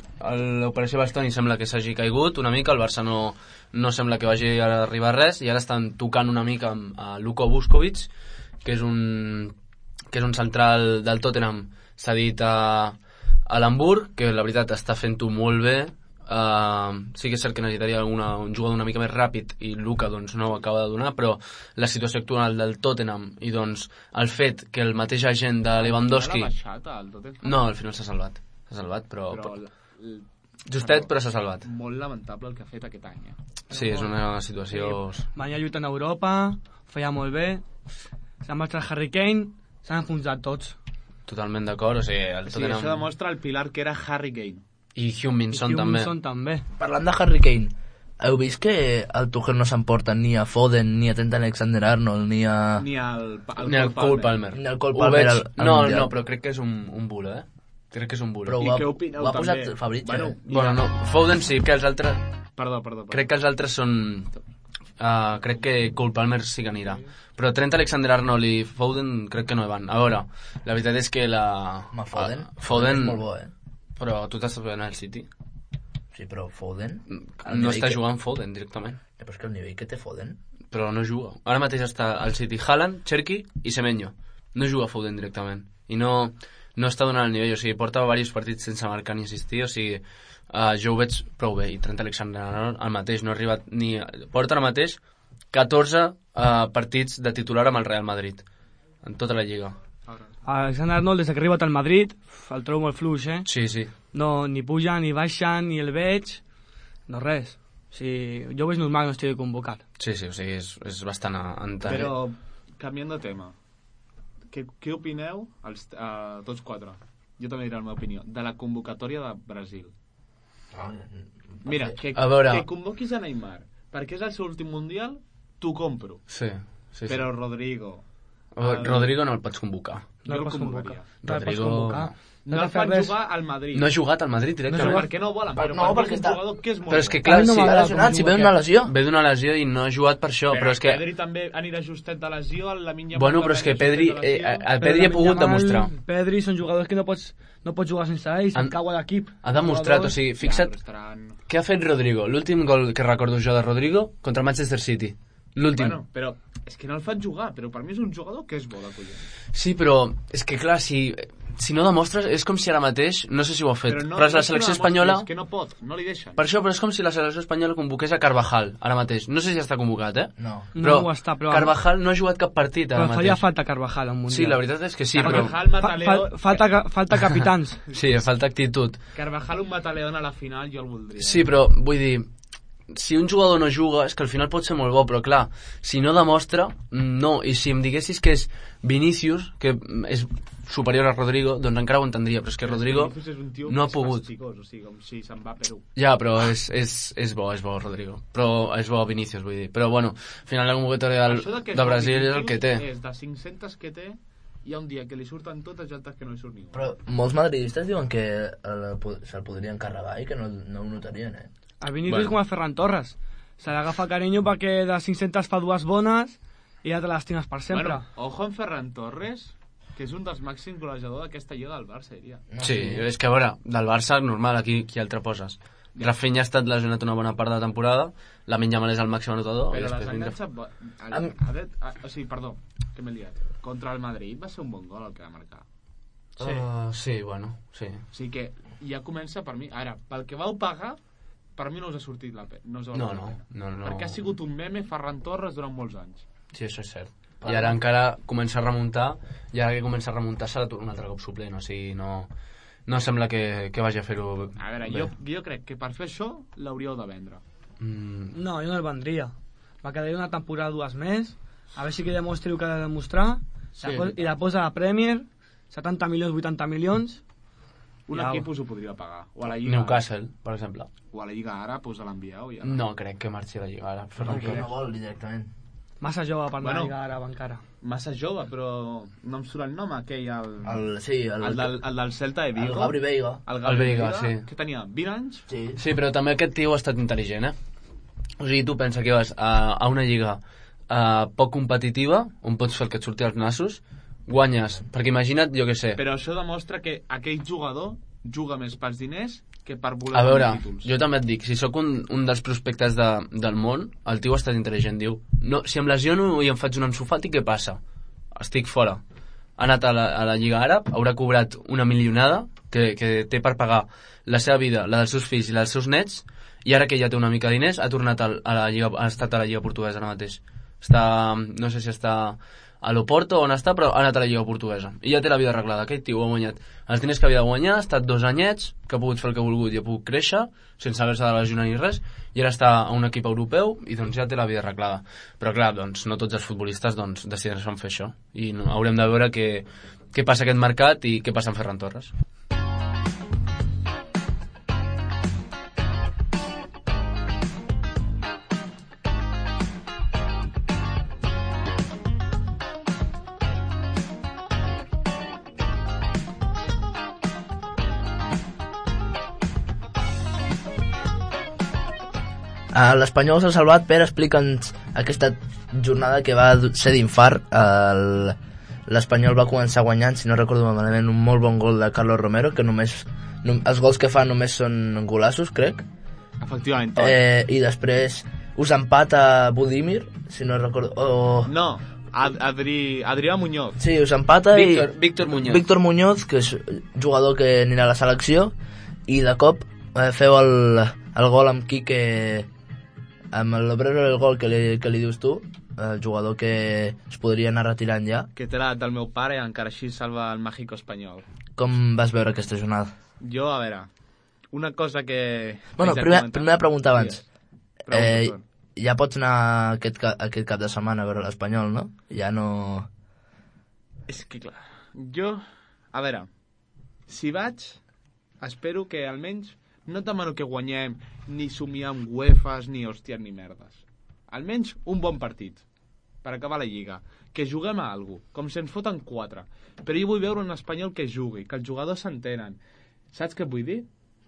Speaker 3: l'operació Bastoni sembla que s'hagi caigut una mica, el Barça no, no sembla que vagi a arribar a res, i ara estan tocant una mica amb uh, Luka Vuskovic, que és un que és un central del Tottenham cedit a, a l'Hamburg, que la veritat està fent-ho molt bé. Uh, sí que és cert que necessitaria alguna, un jugador una mica més ràpid i Luka doncs, no ho acaba de donar, però la situació actual del Tottenham i doncs, el fet que el mateix agent de Lewandowski...
Speaker 4: Baixat, el Tottenham?
Speaker 3: No, al final s'ha salvat. S'ha salvat, però...
Speaker 4: però l... l...
Speaker 3: Justet, però s'ha salvat.
Speaker 4: Molt lamentable el que ha fet aquest any. Eh?
Speaker 3: Sí, és una situació...
Speaker 5: Sí. Venia lluitant a Europa, feia molt bé, s'ha marxat Harry Kane, s'han enfonsat tots.
Speaker 3: Totalment d'acord, o sigui... El
Speaker 4: sí,
Speaker 3: Tottenham...
Speaker 4: això demostra el pilar que era Harry Kane.
Speaker 3: I Heung-min-Son també.
Speaker 5: també.
Speaker 2: Parlant de Harry Kane, heu vist que el Tuchel no s'emporta ni a Foden, ni a Trent Alexander-Arnold, ni a...
Speaker 4: Ni al, al
Speaker 3: ni al Cole Palmer.
Speaker 2: Ni al Cole Palmer al, al
Speaker 3: no,
Speaker 2: Mundial.
Speaker 3: No, però crec que és un, un bulo, eh? Crec que és un bulo.
Speaker 2: Però
Speaker 4: I
Speaker 2: ho
Speaker 4: què
Speaker 2: ha,
Speaker 4: opineu
Speaker 2: ho ha
Speaker 4: també?
Speaker 2: posat Fabrizio.
Speaker 4: Bueno,
Speaker 2: eh?
Speaker 3: bueno, no, Foden sí, que els altres...
Speaker 4: Perdó, perdó, perdó.
Speaker 3: Crec que els altres són... Uh, crec que Cole Palmer sí que anirà. Però Trent Alexander-Arnold i Foden crec que no hi van. A veure, la veritat és que la...
Speaker 2: Ma Foden?
Speaker 3: Uh, Foden...
Speaker 2: És molt bo, eh?
Speaker 3: Però tu t'estàs veient al City?
Speaker 2: Sí, però Foden...
Speaker 3: No està que... jugant Foden directament.
Speaker 2: Ja, però és que el nivell que té Foden...
Speaker 3: Però no juga. Ara mateix està al City Haaland, Cherki i Semenyo. No juga Foden directament. I no, no està donant el nivell. O sigui, porta diversos partits sense marcar ni assistir. O sigui, uh, jo ho veig prou bé. I Trent Alexander-Arnold el mateix no ha arribat ni... Porta ara mateix catorze uh, partits de titular amb el Real Madrid. En tota la lliga.
Speaker 5: Alexander-Arnold, des que ha arribat al Madrid, el trobo molt fluix, eh?
Speaker 3: Sí, sí.
Speaker 5: No, ni puja, ni baixa, ni el veig, no res. O sigui, jo ho veig normal que no estigui convocat.
Speaker 3: Sí, sí, o sigui, és, és bastant entenent.
Speaker 4: Però, canviant de tema, què, què opineu, els, uh, tots quatre, jo també diré la meva opinió, de la convocatòria de Brasil?
Speaker 2: Ah,
Speaker 4: Mira, que,
Speaker 3: veure...
Speaker 4: que convoquis a Neymar, perquè és el seu últim mundial, t'ho compro.
Speaker 3: Sí, sí, sí.
Speaker 4: Però Rodrigo...
Speaker 3: El... Rodrigo no el pots convocar.
Speaker 4: No el convocaria.
Speaker 5: No el pots convocar.
Speaker 4: No, no el fan res. Jugar al Madrid.
Speaker 3: No ha jugat al Madrid directament.
Speaker 4: No, per què no ho volen? Però
Speaker 2: no,
Speaker 4: per
Speaker 2: perquè
Speaker 4: és un
Speaker 2: està...
Speaker 4: jugador que és molt
Speaker 3: però és que
Speaker 4: bo.
Speaker 3: clar,
Speaker 2: no
Speaker 3: sí,
Speaker 2: m'ha lesionat, si ve d'una lesió.
Speaker 3: Ve d'una lesió i no ha jugat per això, però, però és que...
Speaker 4: Pedri també anirà justet de lesió, el Lamine Yamal...
Speaker 3: Bueno, però és que Pedri, eh, el Pedri ha pogut demostrar.
Speaker 5: Pedri són jugadors que no pots, no pots jugar sense ells, en cau a l'equip.
Speaker 3: Ha demostrat, o sigui, fixa't, ja, estaran... què ha fet Rodrigo? L'últim gol que recordo jo de Rodrigo contra el Manchester City. L'últim.
Speaker 4: Bueno, però és que no el fan jugar, però per mi és un jugador que és bo de collons.
Speaker 3: Sí, però és que clar, si, si no demostres, és com si ara mateix, no sé si ho ha fet,
Speaker 4: però, no,
Speaker 3: però és la selecció
Speaker 4: no
Speaker 3: espanyola...
Speaker 4: És que no pot, no li deixen.
Speaker 3: Per això, però és com si la selecció espanyola convoqués a Carvajal, ara mateix. No sé si està convocat, eh?
Speaker 2: No.
Speaker 3: Però,
Speaker 5: no ho està, però...
Speaker 3: Carvajal no ha jugat cap partit ara
Speaker 5: però
Speaker 3: mateix.
Speaker 5: faria falta Carvajal al Mundial.
Speaker 3: Sí, la veritat és que sí,
Speaker 4: Carvajal,
Speaker 3: però...
Speaker 4: Mataleo...
Speaker 5: Fa, falta, falta capitans.
Speaker 3: Sí, falta actitud.
Speaker 4: Carvajal, un Mataleón a la final, jo el voldria.
Speaker 3: Sí, però vull dir... Si un jugador no juga, és que al final pot ser molt bo, però clar, si no demostra, no. I si em diguessis que és Vinícius, que és superior a Rodrigo, doncs encara ho entendria, però és que Rodrigo no ha pogut.
Speaker 4: Fasticós, o sigui, com si se'n va a Perú.
Speaker 3: Ja, però és, és, és bo, és bo Rodrigo. Però és bo Vinícius, vull dir. Però bueno, al final la convocatòria del, de, de Brasil és el que té.
Speaker 4: És de cinc-centes que té, hi ha un dia que li surten totes i altres que no li surt ningú.
Speaker 2: Però molts madridistes diuen que se'l podrien carregar i que no, no ho notarien, eh?
Speaker 5: A Vinícius
Speaker 3: bueno.
Speaker 5: com a Ferran Torres. Se l'agafa carinyo perquè de cinc-centes fa dues bones i ja te les tines per sempre.
Speaker 4: Bueno, ojo en Ferran Torres, que és un dels màxims golejadors d'aquesta lliga del Barça, diria.
Speaker 3: Sí, és que a veure, del Barça, normal, aquí qui altre poses. Rafinha ha estat lesionat una bona part de la temporada, Lamine Yamal és el màxim anotador.
Speaker 4: Però les enganxat... O sigui, perdó, que m'he liat. Contra el Madrid va ser un bon gol el que va marcar.
Speaker 3: Sí, uh, sí bueno, sí.
Speaker 4: O sigui que ja comença per mi... Ara, pel que vau pagar, per mi no us ha sortit la pena. No,
Speaker 3: no, no, no, no.
Speaker 4: Perquè ha sigut un meme Ferran Torres durant molts anys.
Speaker 3: Sí, això és cert. I ara encara comença a remuntar, i ara que comença a remuntar serà un altre cop suplent, o sigui, no... No sembla que, que vagi a fer-ho bé.
Speaker 4: A veure, jo, jo crec que per fer això l'hauríeu de vendre.
Speaker 5: Mm. No, jo no el vendria. Va quedar una temporada dues més, a veure si que demostri el que ha de demostrar, sí. I la posa a la Premier, setanta milions, vuitanta milions...
Speaker 4: Un equip us ho podria pagar. O a la Lliga
Speaker 3: Newcastle, per exemple.
Speaker 4: O a la Lliga Àrab, us l'envieu. Ja
Speaker 3: no crec que marxi a la Lliga Àrab.
Speaker 2: No, que no vol directament.
Speaker 5: Massa jove per bueno, la Lliga Àrab encara.
Speaker 4: Massa jove, però no em surt el nom aquell, el...
Speaker 2: el sí, el,
Speaker 4: el, del, el del Celta de Vigo.
Speaker 2: El Gabri Veiga.
Speaker 4: El Gabri
Speaker 3: el Veiga, sí.
Speaker 4: Que tenia vint anys?
Speaker 2: Sí.
Speaker 3: Sí, però també aquest tio ha estat intel·ligent, eh? O sigui, tu pensa que vas a, a una lliga uh, poc competitiva, on pots fer el que et surti als nassos, guanyes, perquè imagina't, jo què sé...
Speaker 4: Però això demostra que aquell jugador juga més pels diners que per voler
Speaker 3: a veure,
Speaker 4: títols.
Speaker 3: Jo també et dic, si sóc un, un dels prospectes de, del món, el tio ha estat intel·ligent, diu no, si em lesiono i em faig un ensofat, i què passa? Estic fora. Ha anat a la, a la Lliga Àrab, haurà cobrat una milionada que, que té per pagar la seva vida, la dels seus fills i la dels seus nets, i ara que ja té una mica de diners ha tornat a, a la Lliga, ha estat a la Lliga Portuguesa ara mateix. Està, no sé si està a l'Oporto on està, però ha anat a la Lliga Portuguesa i ja té la vida arreglada. Aquest tio ha guanyat els diners que havia de guanyar, ha estat dos anyets, que ha pogut fer el que ha volgut i ha pogut créixer sense haver-se de lesionar ni res, i ara està a un equip europeu i doncs ja té la vida arreglada. Però clar, doncs no tots els futbolistes doncs, decideixen fer això, i no, haurem de veure què, què passa aquest mercat i què passa amb Ferran Torres.
Speaker 2: Uh, L'Espanyol s'ha salvat. Per explica'ns aquesta jornada que va ser d'infart. Uh, L'Espanyol va començar guanyant, si no recordo malament, un molt bon gol de Carlos Romero, que només no, els gols que fa només són golassos, crec.
Speaker 4: Efectivament.
Speaker 2: Eh, I després us empata Budimir, si no recordo... Oh.
Speaker 4: No, Adri, Adrià Muñoz.
Speaker 2: Sí, us empata
Speaker 3: Víctor,
Speaker 2: i...
Speaker 3: Víctor Muñoz.
Speaker 2: Víctor Muñoz, que és jugador que anirà a la selecció, i de cop eh, feu el, el gol amb Quique... amb l'obrero del gol que li, que li dius tu, el jugador que es podria anar retirant ja.
Speaker 4: Que té l'edat del meu pare i encara així salva el México espanyol.
Speaker 2: Com vas veure aquesta jornada?
Speaker 4: Jo, a veure, una cosa que...
Speaker 2: Bueno, primer, primera pregunta abans.
Speaker 4: Sí. Pregunta,
Speaker 2: eh, ja pots anar aquest, aquest cap de setmana a veure l'Espanyol, no? Ja no...
Speaker 4: És que clar, jo, a veure, si vaig, espero que almenys no demano que guanyem ni somiar amb uefes ni hòsties ni merdes. Almenys un bon partit per acabar la Lliga, que juguem a alguna cosa, com si ens foten quatre, però jo vull veure un espanyol que jugui, que els jugadors s'entenen. Saps què vull dir?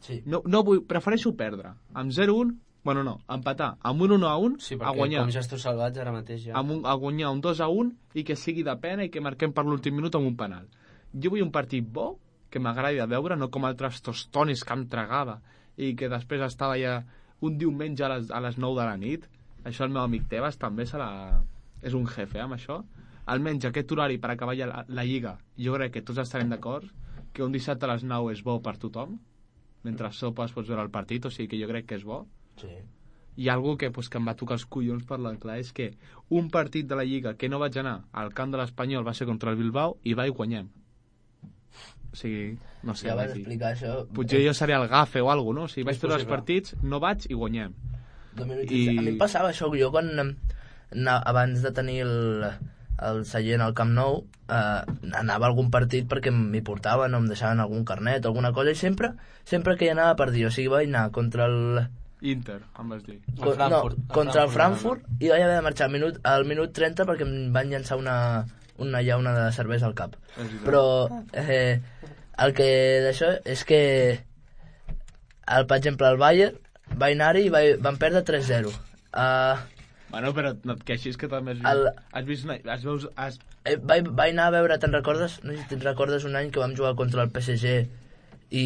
Speaker 2: Sí.
Speaker 4: No, no vull, prefereixo perdre amb zero un, bueno no, empatar amb un un a un,
Speaker 3: sí,
Speaker 4: a guanyar
Speaker 3: com ja esteu salvats ara mateix ja.
Speaker 4: Amb un, a guanyar un dos a un i que sigui de pena i que marquem per l'últim minut amb un penal. Jo vull un partit bo, que m'agradi de veure, no com altres tostonis que em tragava i que després estava ja un diumenge a les, a les nou de la nit. Això el meu amic Tebas també serà... és un jefe amb això. Almenys aquest horari per acabar ja la, la Lliga, jo crec que tots estarem d'acord que un dissabte a les nou és bo per tothom, mentre sopes pots veure el partit, o sigui que jo crec que és bo.
Speaker 2: Sí.
Speaker 4: I algo que, pues, que em va tocar els collons parlant clar és que un partit de la Lliga que no vaig anar al camp de l'Espanyol va ser contra el Bilbao i va i guanyem. O sigui, no sé.
Speaker 2: Ja vas explicar això.
Speaker 4: Potser jo seré el gafe o alguna cosa, no? O sigui, vaig veure els partits, no vaig i guanyem.
Speaker 2: I... A mi em passava això, jo quan abans de tenir el, el seient al Camp Nou eh, anava a algun partit perquè m'hi portaven o em deixaven algun carnet o alguna cosa, i sempre sempre que hi anava per dir, o sigui, vaig anar contra el...
Speaker 4: Inter, em vas dir.
Speaker 2: Co no, contra el Frankfurt, i vaig haver de marxar al minut, al minut trenta perquè em van llançar una, una llauna de cervesa al cap. Però eh, el que d'això és que el, per exemple, el Bayern va anar-hi i va, van perdre tres zero. Uh,
Speaker 4: Bueno, però no et queixis que també has vist...
Speaker 2: El...
Speaker 4: Has vist... Has veus, has...
Speaker 2: Eh, vaig, vaig anar a veure, te'n recordes? No sé si te'n recordes un any que vam jugar contra el P S G i...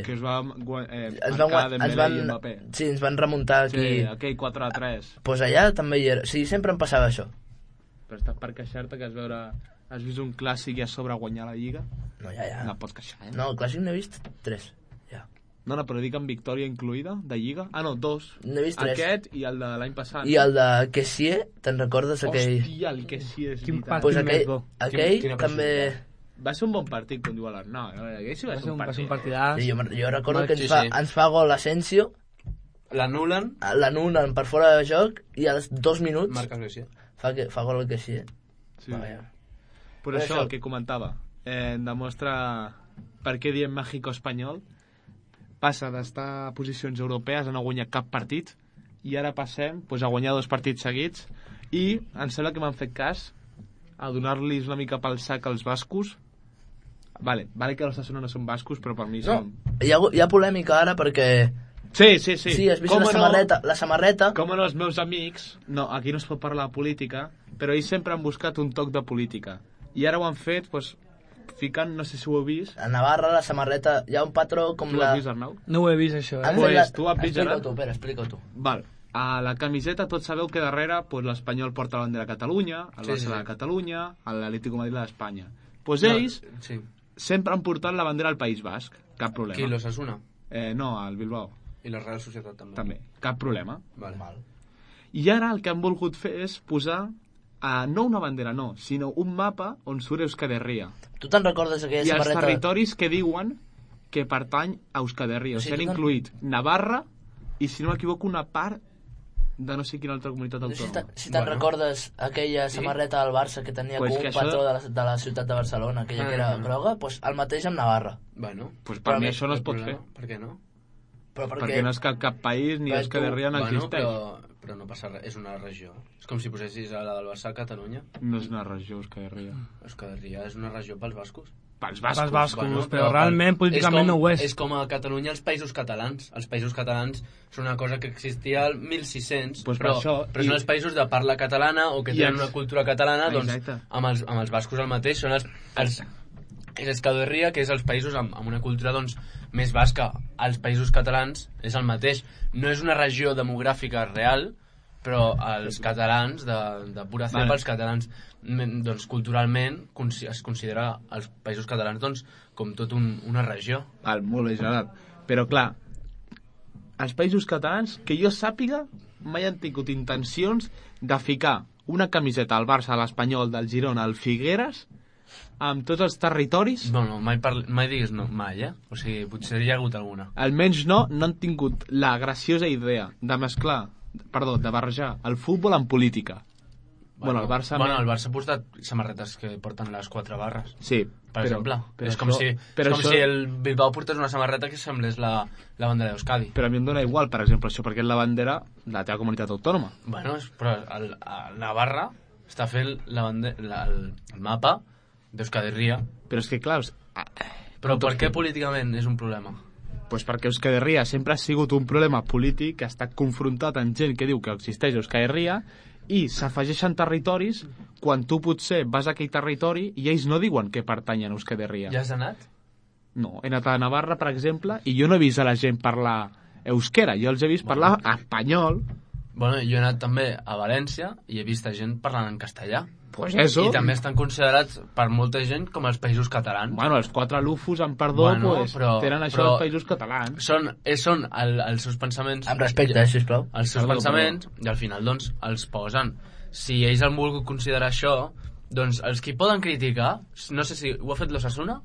Speaker 4: Que es va eh,
Speaker 2: ens van,
Speaker 4: marcar Dembélé
Speaker 2: ens van,
Speaker 4: i Mbappé.
Speaker 2: Sí, ens van remuntar aquí.
Speaker 4: Sí, aquell quatre a tres.
Speaker 2: Doncs pues allà també hi era. Sí, sempre em passava això.
Speaker 4: Però estàs per queixar-te que has veure... Has vist un clàssic i a sobre guanyar la Lliga?
Speaker 2: No, ja, ja.
Speaker 4: No pots queixar, eh?
Speaker 2: No, el clàssic n'he vist tres. Ja.
Speaker 4: No, no, però dic amb victòria incluïda, de Lliga. Ah, no, dos.
Speaker 2: N'he vist tres.
Speaker 4: Aquest i el de l'any passat.
Speaker 2: I el de Kessié, te'n recordes aquell?
Speaker 4: Hòstia, el Kessié és
Speaker 5: Quin
Speaker 4: veritat.
Speaker 5: partit
Speaker 2: Pues aquell,
Speaker 5: més bo.
Speaker 2: aquell
Speaker 3: Quina
Speaker 2: també...
Speaker 4: Va ser un bon partit, com diu l'Arnau. Aquell sí va,
Speaker 5: Va
Speaker 4: ser un
Speaker 5: va ser
Speaker 4: partit.
Speaker 5: un partidàs.
Speaker 2: Sí, jo, jo recordo
Speaker 3: Mal,
Speaker 2: que ens,
Speaker 3: sí,
Speaker 2: fa,
Speaker 3: sí.
Speaker 2: ens fa gol l'Asensio,
Speaker 3: L'anulen,
Speaker 2: l'anulen per fora de joc i als dos minuts
Speaker 3: marques Messi.
Speaker 2: fa, que, fa gol el Kessié.
Speaker 4: Sí.
Speaker 2: Vaja.
Speaker 4: Però això, el que comentava, eh, demostra per què diem México-Espanyol. Passa d'estar a posicions europees a no guanyar cap partit i ara passem pues, a guanyar dos partits seguits i em sembla que m'han fet cas a donar-los una mica pel sac als bascos. Vale, vale que els Osasuna no són bascos, però per mi
Speaker 2: No,
Speaker 4: són...
Speaker 2: hi ha, hi ha polèmica ara perquè...
Speaker 4: Sí, sí, sí.
Speaker 2: Sí, has vist
Speaker 4: Com
Speaker 2: la
Speaker 4: no,
Speaker 2: samarreta, la samarreta...
Speaker 4: Com no els meus amics... No, aquí no es pot parlar de política, però ells sempre han buscat un toc de política. I ara ho han fet, doncs, ficant, no sé si ho heu vist...
Speaker 2: A Navarra, la samarreta, hi ha un patró com
Speaker 4: Tu
Speaker 2: la...
Speaker 4: l'has vist, Arnau?
Speaker 5: No ho he vist, això,
Speaker 2: Han
Speaker 5: eh?
Speaker 4: Pues,
Speaker 2: fet la...
Speaker 4: tu has vist,
Speaker 2: Explica-ho
Speaker 4: Gerard?
Speaker 2: tu, Pere, explica-ho tu.
Speaker 4: Val. A la camiseta tots sabeu que darrere pues, l'Espanyol porta la bandera de Catalunya, el
Speaker 3: Sí,
Speaker 4: Barça
Speaker 3: sí, sí.
Speaker 4: de Catalunya, l'Atlético de Madrid de d'Espanya. Doncs pues ells
Speaker 3: No, sí.
Speaker 4: sempre han portat la bandera al País Basc, cap problema.
Speaker 3: Qui, l'Osasuna?
Speaker 4: Eh, no, al Bilbao,
Speaker 3: I la Real Societat també.
Speaker 4: també, cap problema.
Speaker 3: Vale.
Speaker 2: Mal.
Speaker 4: I ara el que han volgut fer és posar, eh, no una bandera, no, sinó un mapa on surt Euskal Herria.
Speaker 2: Tu te'n recordes aquella
Speaker 4: I els
Speaker 2: samarreta...
Speaker 4: territoris que diuen que pertany a Euskal Herria.
Speaker 2: O
Speaker 4: O
Speaker 2: sigui,
Speaker 4: sigui, han
Speaker 2: tu te'n-
Speaker 4: incluït Navarra i, si no m'equivoco, una part de no sé quina altra comunitat
Speaker 2: No sé si
Speaker 4: autònoma.
Speaker 2: te- si te'n
Speaker 3: Bueno.
Speaker 2: recordes aquella samarreta del Barça que tenia
Speaker 4: Pues
Speaker 2: com
Speaker 4: que
Speaker 2: un
Speaker 4: això-
Speaker 2: patró de la, de la ciutat de Barcelona, aquella que era
Speaker 3: Ah.
Speaker 2: groga, doncs el mateix amb Navarra.
Speaker 3: Bueno.
Speaker 4: Pues per
Speaker 2: Però
Speaker 4: mi
Speaker 2: a mi-
Speaker 4: això no es
Speaker 3: el
Speaker 4: pot fer.
Speaker 3: problema, Per què no?
Speaker 2: Però perquè...
Speaker 4: Perquè no és cap, cap país ni
Speaker 2: Però
Speaker 4: és que
Speaker 2: tu-
Speaker 4: Herria no
Speaker 3: bueno,
Speaker 4: existeix.
Speaker 3: però, però no passa res, és una regió. És com si posessis a la del Barça a Catalunya.
Speaker 4: No és una regió, Euskal Herria.
Speaker 3: Euskal Herria és una regió pels bascos.
Speaker 4: Pels
Speaker 5: Pels
Speaker 4: bascos.
Speaker 5: bascos, però realment políticament
Speaker 3: és com,
Speaker 5: no ho és.
Speaker 3: És com a Catalunya els països catalans. Els països catalans són una cosa que existia al mil sis-cents,
Speaker 4: Pues per
Speaker 3: però,
Speaker 4: això,
Speaker 3: però
Speaker 4: i-
Speaker 3: són els països de parla catalana o que
Speaker 4: I
Speaker 3: tenen
Speaker 4: ex-
Speaker 3: una cultura catalana, doncs
Speaker 4: Exacte.
Speaker 3: amb els, amb els bascos el mateix. Són els, els, és Euskal Herria, que és els països amb, amb una cultura doncs, més basca. Els països catalans és el mateix. No és una regió demogràfica real, però els catalans, de, de pura cepa,
Speaker 4: Vale.
Speaker 3: els catalans, mm, doncs, culturalment, consi- es considera els països catalans doncs, com tot un, una regió.
Speaker 4: Val, molt bé, Gerard. Però, clar, els països catalans, que jo sàpiga, mai han tingut intencions de ficar una camiseta al Barça, a l'Espanyol, del Girona, al Figueres, amb tots els territoris.
Speaker 3: Bueno, mai, parli, mai diguis no, mai, eh? O sigui, potser hi ha hagut alguna.
Speaker 4: Almenys no, no han tingut la graciosa idea de mesclar, perdó, de barrejar el futbol amb política. Bueno, el Barça...
Speaker 3: Bueno, el Barça ha portat samarretes que porten les quatre barres.
Speaker 4: Sí,
Speaker 3: Per
Speaker 4: però,
Speaker 3: exemple,
Speaker 4: però
Speaker 3: és com,
Speaker 4: això,
Speaker 3: si,
Speaker 4: però
Speaker 3: és com
Speaker 4: això,
Speaker 3: si el Bilbao portés una samarreta que semblés la, la bandera d'Euskadi.
Speaker 4: Però a mi em dóna igual, per exemple, això, perquè és la bandera de la teva comunitat autònoma.
Speaker 3: Bueno, és, però el, el Navarra està fent la bande, la, el, el mapa d'Euskadi Herria.
Speaker 4: Però és que, clar, és-
Speaker 3: Però per què políticament és un problema?
Speaker 4: pues perquè Euskal Herria sempre ha sigut un problema polític que ha estat confrontat amb gent que diu que existeix Euskal Herria i s'afegeixen territoris quan tu potser vas a aquell territori i ells no diuen que pertanyen a Euskal Herria.
Speaker 3: Ja has anat?
Speaker 4: No, he anat a Navarra, per exemple, i jo no he vist a la gent parlar euskera, jo els he vist parlar espanyol.
Speaker 3: Bueno, jo he anat també a València i he vist a gent parlant en castellà.
Speaker 4: Pues eso.
Speaker 3: I també estan considerats per molta gent com els països catalans.
Speaker 4: Bueno, els quatre lufos, amb perdó,
Speaker 3: Bueno,
Speaker 4: pues,
Speaker 3: però-
Speaker 4: tenen això
Speaker 3: però-
Speaker 4: dels països catalans.
Speaker 3: Són, eh, són el, els seus pensaments...
Speaker 2: Amb respecte, eh, sisplau.
Speaker 3: Els seus
Speaker 4: Perdó,
Speaker 3: pensaments, i al final, doncs, els posen. Si ells han volgut considerar això, doncs els que poden criticar, no sé si ho ha fet l'Osasuna,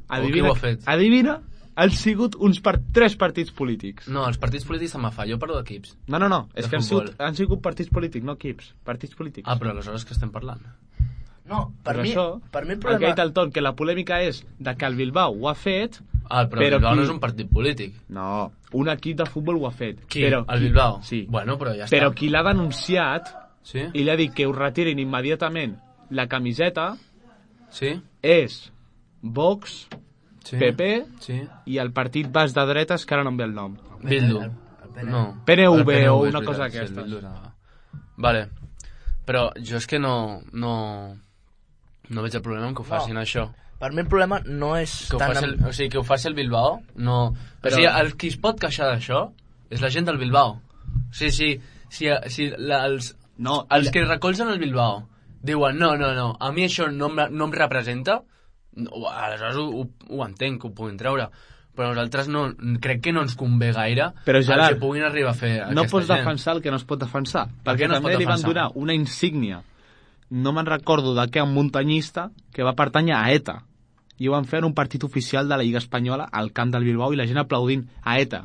Speaker 3: o qui ho ha fet?
Speaker 4: Adivina, han sigut uns per tres partits polítics.
Speaker 3: No, els partits polítics se'n fa, jo parlo d'equips.
Speaker 4: No, no, no, és
Speaker 3: De
Speaker 4: que han
Speaker 3: futbol.
Speaker 4: sigut, han sigut partits polítics, no equips, partits polítics.
Speaker 3: Ah, però aleshores que estem parlant?
Speaker 2: No, per
Speaker 4: Per
Speaker 2: mi,
Speaker 4: això,
Speaker 2: per mi el
Speaker 4: el que ha
Speaker 2: problema...
Speaker 4: dit el Ton, que la polèmica és de que el Bilbao ho ha fet...
Speaker 3: Ah, però,
Speaker 4: Però
Speaker 3: el Bilbao
Speaker 4: qui-
Speaker 3: no és un partit polític.
Speaker 4: No, un equip de futbol ho ha fet.
Speaker 3: Qui?
Speaker 4: Però
Speaker 3: El Bilbao?
Speaker 4: Sí.
Speaker 3: Bueno, però ja
Speaker 4: Però
Speaker 3: està.
Speaker 4: qui l'ha denunciat
Speaker 3: Sí?
Speaker 4: i li ha dit que ho retirin immediatament la camiseta
Speaker 3: Sí?
Speaker 4: és Vox,
Speaker 3: Sí?
Speaker 4: P P
Speaker 3: Sí?
Speaker 4: i el partit bas de dretes, que ara no em ve el nom.
Speaker 3: Bildu.
Speaker 2: El- el P N V.
Speaker 3: No.
Speaker 4: P N V
Speaker 3: El P N V,
Speaker 4: o
Speaker 3: és
Speaker 4: una
Speaker 3: veritat,
Speaker 4: cosa
Speaker 3: sí, el
Speaker 4: d'aquestes.
Speaker 3: Bildu era- Vale. Però jo és que no... No, no veig el problema en que ho facin, no. Això.
Speaker 2: Per mi el problema no és
Speaker 3: que
Speaker 2: tant...
Speaker 3: El, o sigui, que ho faci el Bilbao, no... Però... O sigui, el qui es pot queixar d'això és la gent del Bilbao. O sigui, si, si, si la, els, no, els la... que recolzen el Bilbao diuen, no, no, no, a mi això no, no em representa, no, aleshores ho, ho, ho entenc, que ho puguin treure. Però nosaltres no, crec que no ens convé gaire
Speaker 4: però, Gerard,
Speaker 3: que puguin arribar a fer
Speaker 4: no pots
Speaker 3: gent.
Speaker 4: defensar el que no es pot defensar.
Speaker 3: Per
Speaker 4: perquè
Speaker 3: no
Speaker 4: també li van donar una insígnia, no me'n recordo de què, un muntanyista que va pertànyer a ETA. I ho van fer en un partit oficial de la Lliga Espanyola al camp del Bilbao i la gent aplaudint a ETA.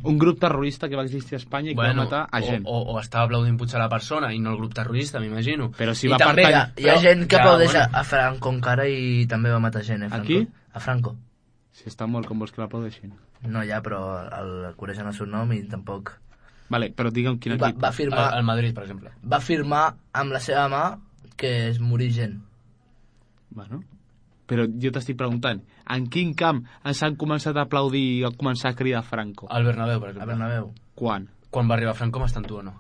Speaker 4: Un grup terrorista que va existir a Espanya i que bueno, va matar a gent.
Speaker 3: O, o, o estava aplaudint potser la persona i no el grup terrorista, m'imagino.
Speaker 2: Però si I va també pertany... hi, ha, hi ha gent que aplaudeix bueno. a Franco encara i també va matar gent, eh, Franco?
Speaker 4: Aquí?
Speaker 2: A Franco.
Speaker 4: Si està mort, com vols que l'aplaudeixin?
Speaker 2: No, ja, però el coneixen el seu nom i tampoc...
Speaker 4: Vale, però digue'm quin
Speaker 2: equip... Va, va firmar...
Speaker 3: El, el Madrid, per exemple.
Speaker 2: Va firmar amb la seva mà que es morir gent.
Speaker 4: Bueno... Però jo t'estic preguntant, en quin camp ens han començat a aplaudir i a començar a cridar Franco?
Speaker 3: Al Bernabéu, per exemple.
Speaker 2: Al Bernabéu.
Speaker 4: Quan?
Speaker 3: Quan va arribar Franco m'estantua, no?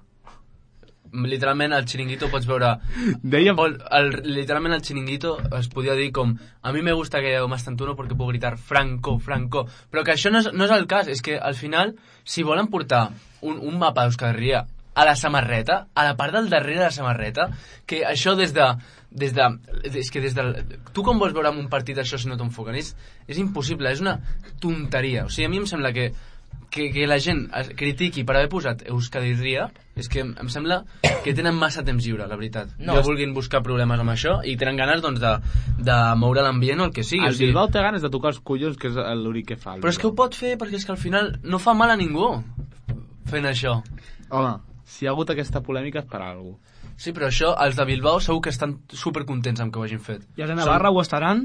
Speaker 3: Literalment, al Chiringuito pots veure...
Speaker 4: Dèiem...
Speaker 3: El, literalment, al Chiringuito es podia dir com a mi me gusta que m'estantuno porque puedo gritar Franco, Franco. Però que això no és, no és el cas, és que al final, si volen portar un, un mapa d'Euskal Herria a la samarreta, a la part del darrere de la samarreta, que això des de... Des de, és que des de... Tu com vols veure un partit això si no t'enfoquen? És, és impossible, és una tonteria. O sigui, a mi em sembla que, que, que la gent critiqui per haver posat Euskal Herria, és que em sembla que tenen massa temps lliure, la veritat. No que vulguin buscar problemes amb això i tenen ganes doncs, de, de moure l'ambient o el que sigui.
Speaker 4: El o sigui, Bilbao té ganes de tocar els collons, que és l'únic que fa.
Speaker 3: Però és que ho pot fer perquè és que al final no fa mal a ningú fent això.
Speaker 4: Home, si hi ha hagut aquesta polèmica és per alguna cosa.
Speaker 3: Sí, però això, els de Bilbao segur que estan supercontents amb que ho hagin fet.
Speaker 5: I els de Navarra Són... ho estaran?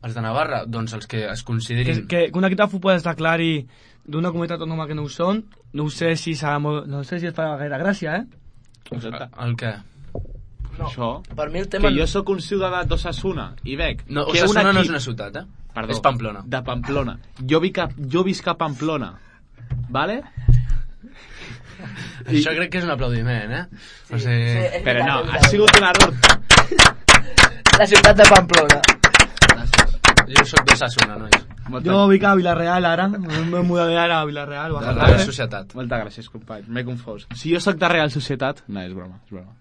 Speaker 3: Els de Navarra, doncs els que es considerin...
Speaker 5: Que, que un equip de futbol es declari d'una comunitat autònoma que no ho són, no sé si serà molt... no sé si es farà gaire gràcia, eh?
Speaker 3: El, el què?
Speaker 4: No. Això,
Speaker 2: per mi el tema...
Speaker 4: que jo sóc un ciutadà d'Osasuna i veig...
Speaker 3: No, Osasuna equip... no és una ciutat, eh?
Speaker 4: Perdó,
Speaker 3: és Pamplona.
Speaker 4: De Pamplona. Jo, vi a, jo visc a Pamplona, vale?
Speaker 3: I... Això crec que és un aplaudiment, eh?
Speaker 2: Sí, o sigui... sí,
Speaker 4: però no, ha sigut un error.
Speaker 2: La ciutat de Pamplona.
Speaker 3: Jo sóc d'Osasuna, nois.
Speaker 5: Molta... Jo vic a Vilareal ara, m'he mudat ara a Vilareal.
Speaker 3: De la Real Societat.
Speaker 4: Moltes gràcies, company, m'he confós. Si jo sóc de Real Societat... No, és broma, és broma.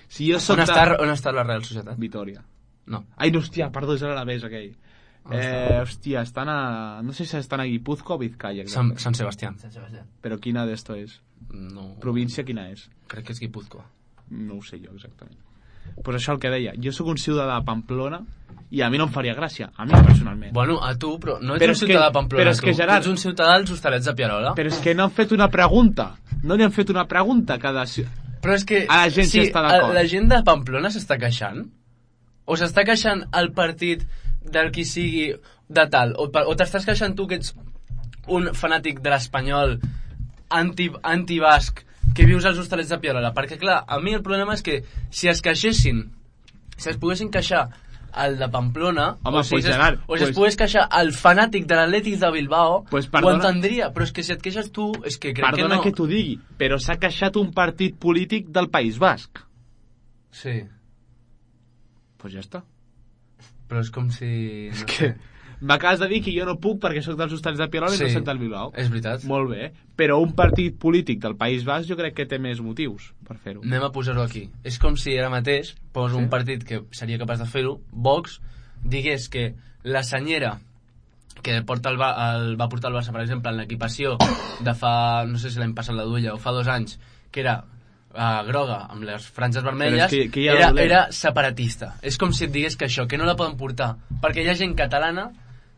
Speaker 4: Si jo soc
Speaker 3: on,
Speaker 4: de...
Speaker 3: està, on està la Real Societat?
Speaker 4: Vitoria.
Speaker 3: No.
Speaker 4: Ai, no, hòstia, perdó, és a l'Alavés, aquell. Eh, hòstia, estan a... No sé si estan a Guipúzcoa o Vizcaya.
Speaker 3: San, San Sebastián.
Speaker 2: San Sebastián.
Speaker 4: Però quina d'esto és?
Speaker 3: No.
Speaker 4: Província quina és?
Speaker 3: Crec que és Guipúzcoa.
Speaker 4: No ho sé jo exactament. Pues això el que deia, jo sóc un ciutadà de Pamplona i a mi no em faria gràcia, a mi personalment.
Speaker 3: Bueno, a tu, però no ets
Speaker 4: però
Speaker 3: un ciutadà
Speaker 4: que,
Speaker 3: de Pamplona,
Speaker 4: però és
Speaker 3: tu.
Speaker 4: Que, Gerard,
Speaker 3: ets un ciutadà dels Hostalets de Pierola.
Speaker 4: Però és que no han fet una pregunta, no li han fet una pregunta a cada...
Speaker 3: Però és que
Speaker 4: a la gent
Speaker 3: si
Speaker 4: està d'acord.
Speaker 3: La gent de Pamplona s'està queixant? O s'està queixant el partit del qui sigui de tal? O, o t'estàs queixant tu que ets un fanàtic de l'Espanyol anti, anti-basc que vius als Hostalets de Pierola? Perquè clar, a mi el problema és que si es queixessin, si es poguessin queixar al de Pamplona,
Speaker 4: home,
Speaker 3: o si,
Speaker 4: pues,
Speaker 3: es,
Speaker 4: Gerard,
Speaker 3: o si
Speaker 4: pues,
Speaker 3: es pogués queixar al fanàtic de l'Atlètic de Bilbao,
Speaker 4: pues,
Speaker 3: ho entendria, però és que si et queixes tu és que crec
Speaker 4: perdona
Speaker 3: que no.
Speaker 4: Perdona que t'ho digui, però s'ha queixat un partit polític del País Basc.
Speaker 3: Sí.
Speaker 4: Pues ja està.
Speaker 3: Però és com si...
Speaker 4: És
Speaker 3: no
Speaker 4: que...
Speaker 3: sé.
Speaker 4: M'acabes de dir que jo no puc perquè sóc dels Hostalets de Pierola sí, i no sóc del Bilbao.
Speaker 3: És veritat.
Speaker 4: Molt bé, però un partit polític del País Basc jo crec que té més motius per fer-ho.
Speaker 3: Anem a posar-ho aquí. És com si ara mateix pos sí? un partit que seria capaç de fer-ho, Vox, digués que la senyera que porta el, el, va portar el Barça, per exemple, en l'equipació de fa, no sé si l'any passat la duia, o fa dos anys, que era uh, groga amb les franges vermelles,
Speaker 4: que, que
Speaker 3: era, era separatista. És com si et digués que això, que no la poden portar, perquè hi ha gent catalana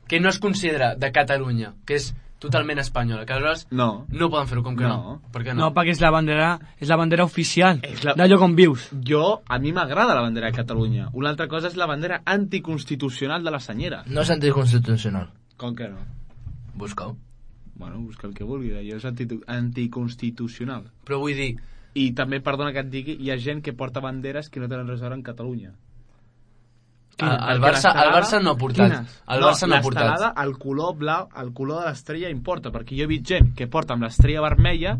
Speaker 3: que no es considera de Catalunya, que és totalment espanyola, que aleshores
Speaker 4: no,
Speaker 3: no poden fer-ho, com que no.
Speaker 4: no.
Speaker 3: Per què no?
Speaker 5: No, perquè és la bandera, és la bandera oficial
Speaker 4: la...
Speaker 5: d'allò com vius.
Speaker 4: Jo, a mi m'agrada la bandera de Catalunya. Una altra cosa és la bandera anticonstitucional de la senyera.
Speaker 2: No és anticonstitucional.
Speaker 4: Com que no?
Speaker 2: Busca-ho.
Speaker 4: Bueno, busca el que vulgui, allò és anti anticonstitucional.
Speaker 3: Però vull dir...
Speaker 4: I també, perdona que et digui, hi ha gent que porta banderes que no tenen res a veure en Catalunya.
Speaker 3: El, el, Barça, el Barça no ha portat. El Barça no, no ha portat.
Speaker 4: El color blau, el color de l'estrella importa, perquè jo he vist gent que porta amb l'estrella vermella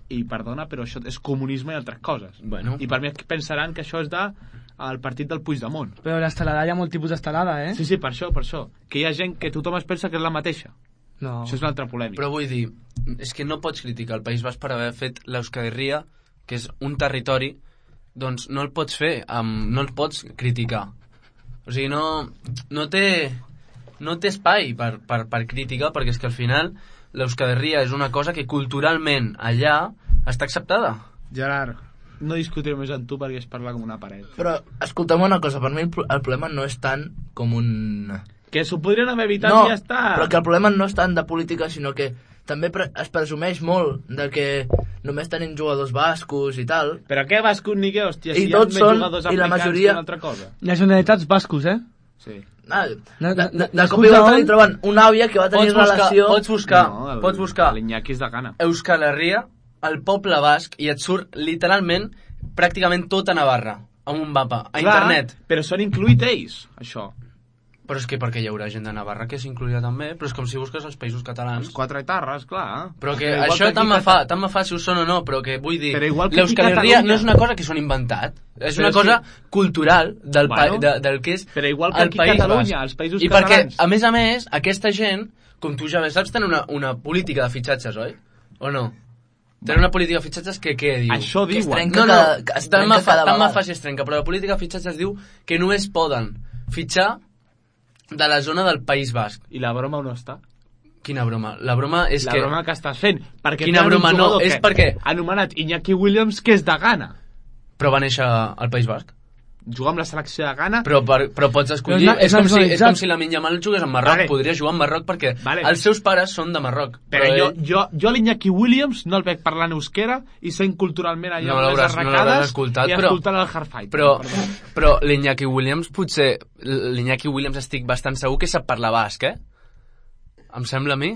Speaker 4: i perdona, però això és comunisme i altres coses.
Speaker 3: Bueno.
Speaker 4: I per mi pensaran que això és de el partit del Puigdemont.
Speaker 5: Però l'estelada hi ha molt tipus d'estelada, eh?
Speaker 4: Sí, sí, per això, per això. Que hi ha gent que tothom es pensa que és la mateixa.
Speaker 5: No.
Speaker 4: Això és l'altra polèmica.
Speaker 3: Però vull dir, és que no pots criticar el País Basc per haver fet l'Euskal Herria, que és un territori, doncs no el pots fer, amb, no el pots criticar. O sigui, no, no té no té espai per, per, per criticar, perquè és que al final l'Euskal Herria és una cosa que culturalment allà està acceptada.
Speaker 4: Gerard, no discutiré més amb tu perquè es parla com una paret.
Speaker 2: Però, escolta'm una cosa, per mi el, el problema no és tant com un...
Speaker 4: Que s'ho podrien haver evitat
Speaker 2: no,
Speaker 4: i ja està.
Speaker 2: Però que el problema no és tant de política, sinó que també pre es presumeix molt de que només tenim jugadors bascos i tal.
Speaker 4: Però què bascos ni què, hòstia,
Speaker 2: I
Speaker 4: si hi ha
Speaker 2: tots
Speaker 4: més
Speaker 2: són,
Speaker 4: jugadors
Speaker 2: i la
Speaker 4: africans
Speaker 2: majoria...
Speaker 4: que una altra cosa.
Speaker 5: Nacionalitats bascos, eh?
Speaker 4: Sí.
Speaker 2: Ah, de,
Speaker 5: Na-
Speaker 2: de,
Speaker 5: na-
Speaker 2: de cop i volta li troben una àvia que va tenir
Speaker 3: Pots buscar,
Speaker 2: relació...
Speaker 3: pots buscar,
Speaker 4: No, el-
Speaker 3: pots buscar
Speaker 4: l'Iñaki és de Ghana.
Speaker 3: Euskal Herria, el poble basc, i et surt literalment pràcticament tota Navarra, amb un mapa, a
Speaker 4: Clar,
Speaker 3: internet.
Speaker 4: però són incluït ells, això.
Speaker 3: Però és que perquè hi haurà gent de Navarra que s'incluirà també, però és com si busques els països catalans.
Speaker 4: Els quatre etarres, clar.
Speaker 3: Però que
Speaker 4: igual
Speaker 3: això
Speaker 4: que
Speaker 3: tant
Speaker 4: aquí
Speaker 3: me
Speaker 4: Cata-
Speaker 3: fa, tant me fa si ho són o no, però que vull dir,
Speaker 4: Però igual que aquí
Speaker 3: l'Euskal Herria
Speaker 4: Catalunya-
Speaker 3: no és una cosa que s'han inventat, és
Speaker 4: Però
Speaker 3: una
Speaker 4: és
Speaker 3: cosa
Speaker 4: que-
Speaker 3: cultural del,
Speaker 4: Bueno,
Speaker 3: pa, de, del que és
Speaker 4: però igual que
Speaker 3: el
Speaker 4: aquí
Speaker 3: País
Speaker 4: Catalunya,
Speaker 3: Basc.
Speaker 4: els països
Speaker 3: I perquè,
Speaker 4: catalans.
Speaker 3: a més a més, aquesta gent, com tu ja bé saps, tenen una, una política de fitxatges, oi? O no? Tenen una política de fitxatges que què diu?
Speaker 4: Això
Speaker 2: Que es
Speaker 4: diuen.
Speaker 2: trenca
Speaker 3: No, no,
Speaker 2: cada, que es
Speaker 3: tant
Speaker 2: trenca
Speaker 3: me fa,
Speaker 2: cada
Speaker 3: tant me
Speaker 2: vegada.
Speaker 3: fa si es trenca, però la política de fitxatges diu que només poden fitxar de la zona del País Basc.
Speaker 4: I la broma on està?
Speaker 3: Quina broma? La broma és
Speaker 4: La
Speaker 3: que...
Speaker 4: broma que estàs fent. Perquè
Speaker 3: Quina
Speaker 4: tenen un
Speaker 3: broma? No,
Speaker 4: jugador
Speaker 3: és
Speaker 4: que-
Speaker 3: perquè-
Speaker 4: Anomenat Iñaki Williams, que és de Ghana.
Speaker 3: Però va néixer al País Basc.
Speaker 4: Juga amb la selecció de Ghana.
Speaker 3: Però, per, però pots escollir...
Speaker 5: Però és na-
Speaker 3: és, com si, és
Speaker 5: nacionalitzat.
Speaker 3: com si la Yamal jugués a Marroc.
Speaker 4: Vale.
Speaker 3: Podria jugar a Marroc perquè
Speaker 4: Vale.
Speaker 3: els seus pares són de Marroc.
Speaker 4: Però jo,
Speaker 3: ell-
Speaker 4: jo, jo l'Iñaki Williams no el veig parlant euskera i sent culturalment allà
Speaker 3: No
Speaker 4: amb les
Speaker 3: l'hauràs- no
Speaker 4: arracades
Speaker 3: l'hauràs escoltat,
Speaker 4: i
Speaker 3: però-
Speaker 4: escoltant el Hardfight.
Speaker 3: Però, però l'Iñaki Williams potser... L'Iñaki Williams estic bastant segur que sap parlar basc, eh? Em sembla a mi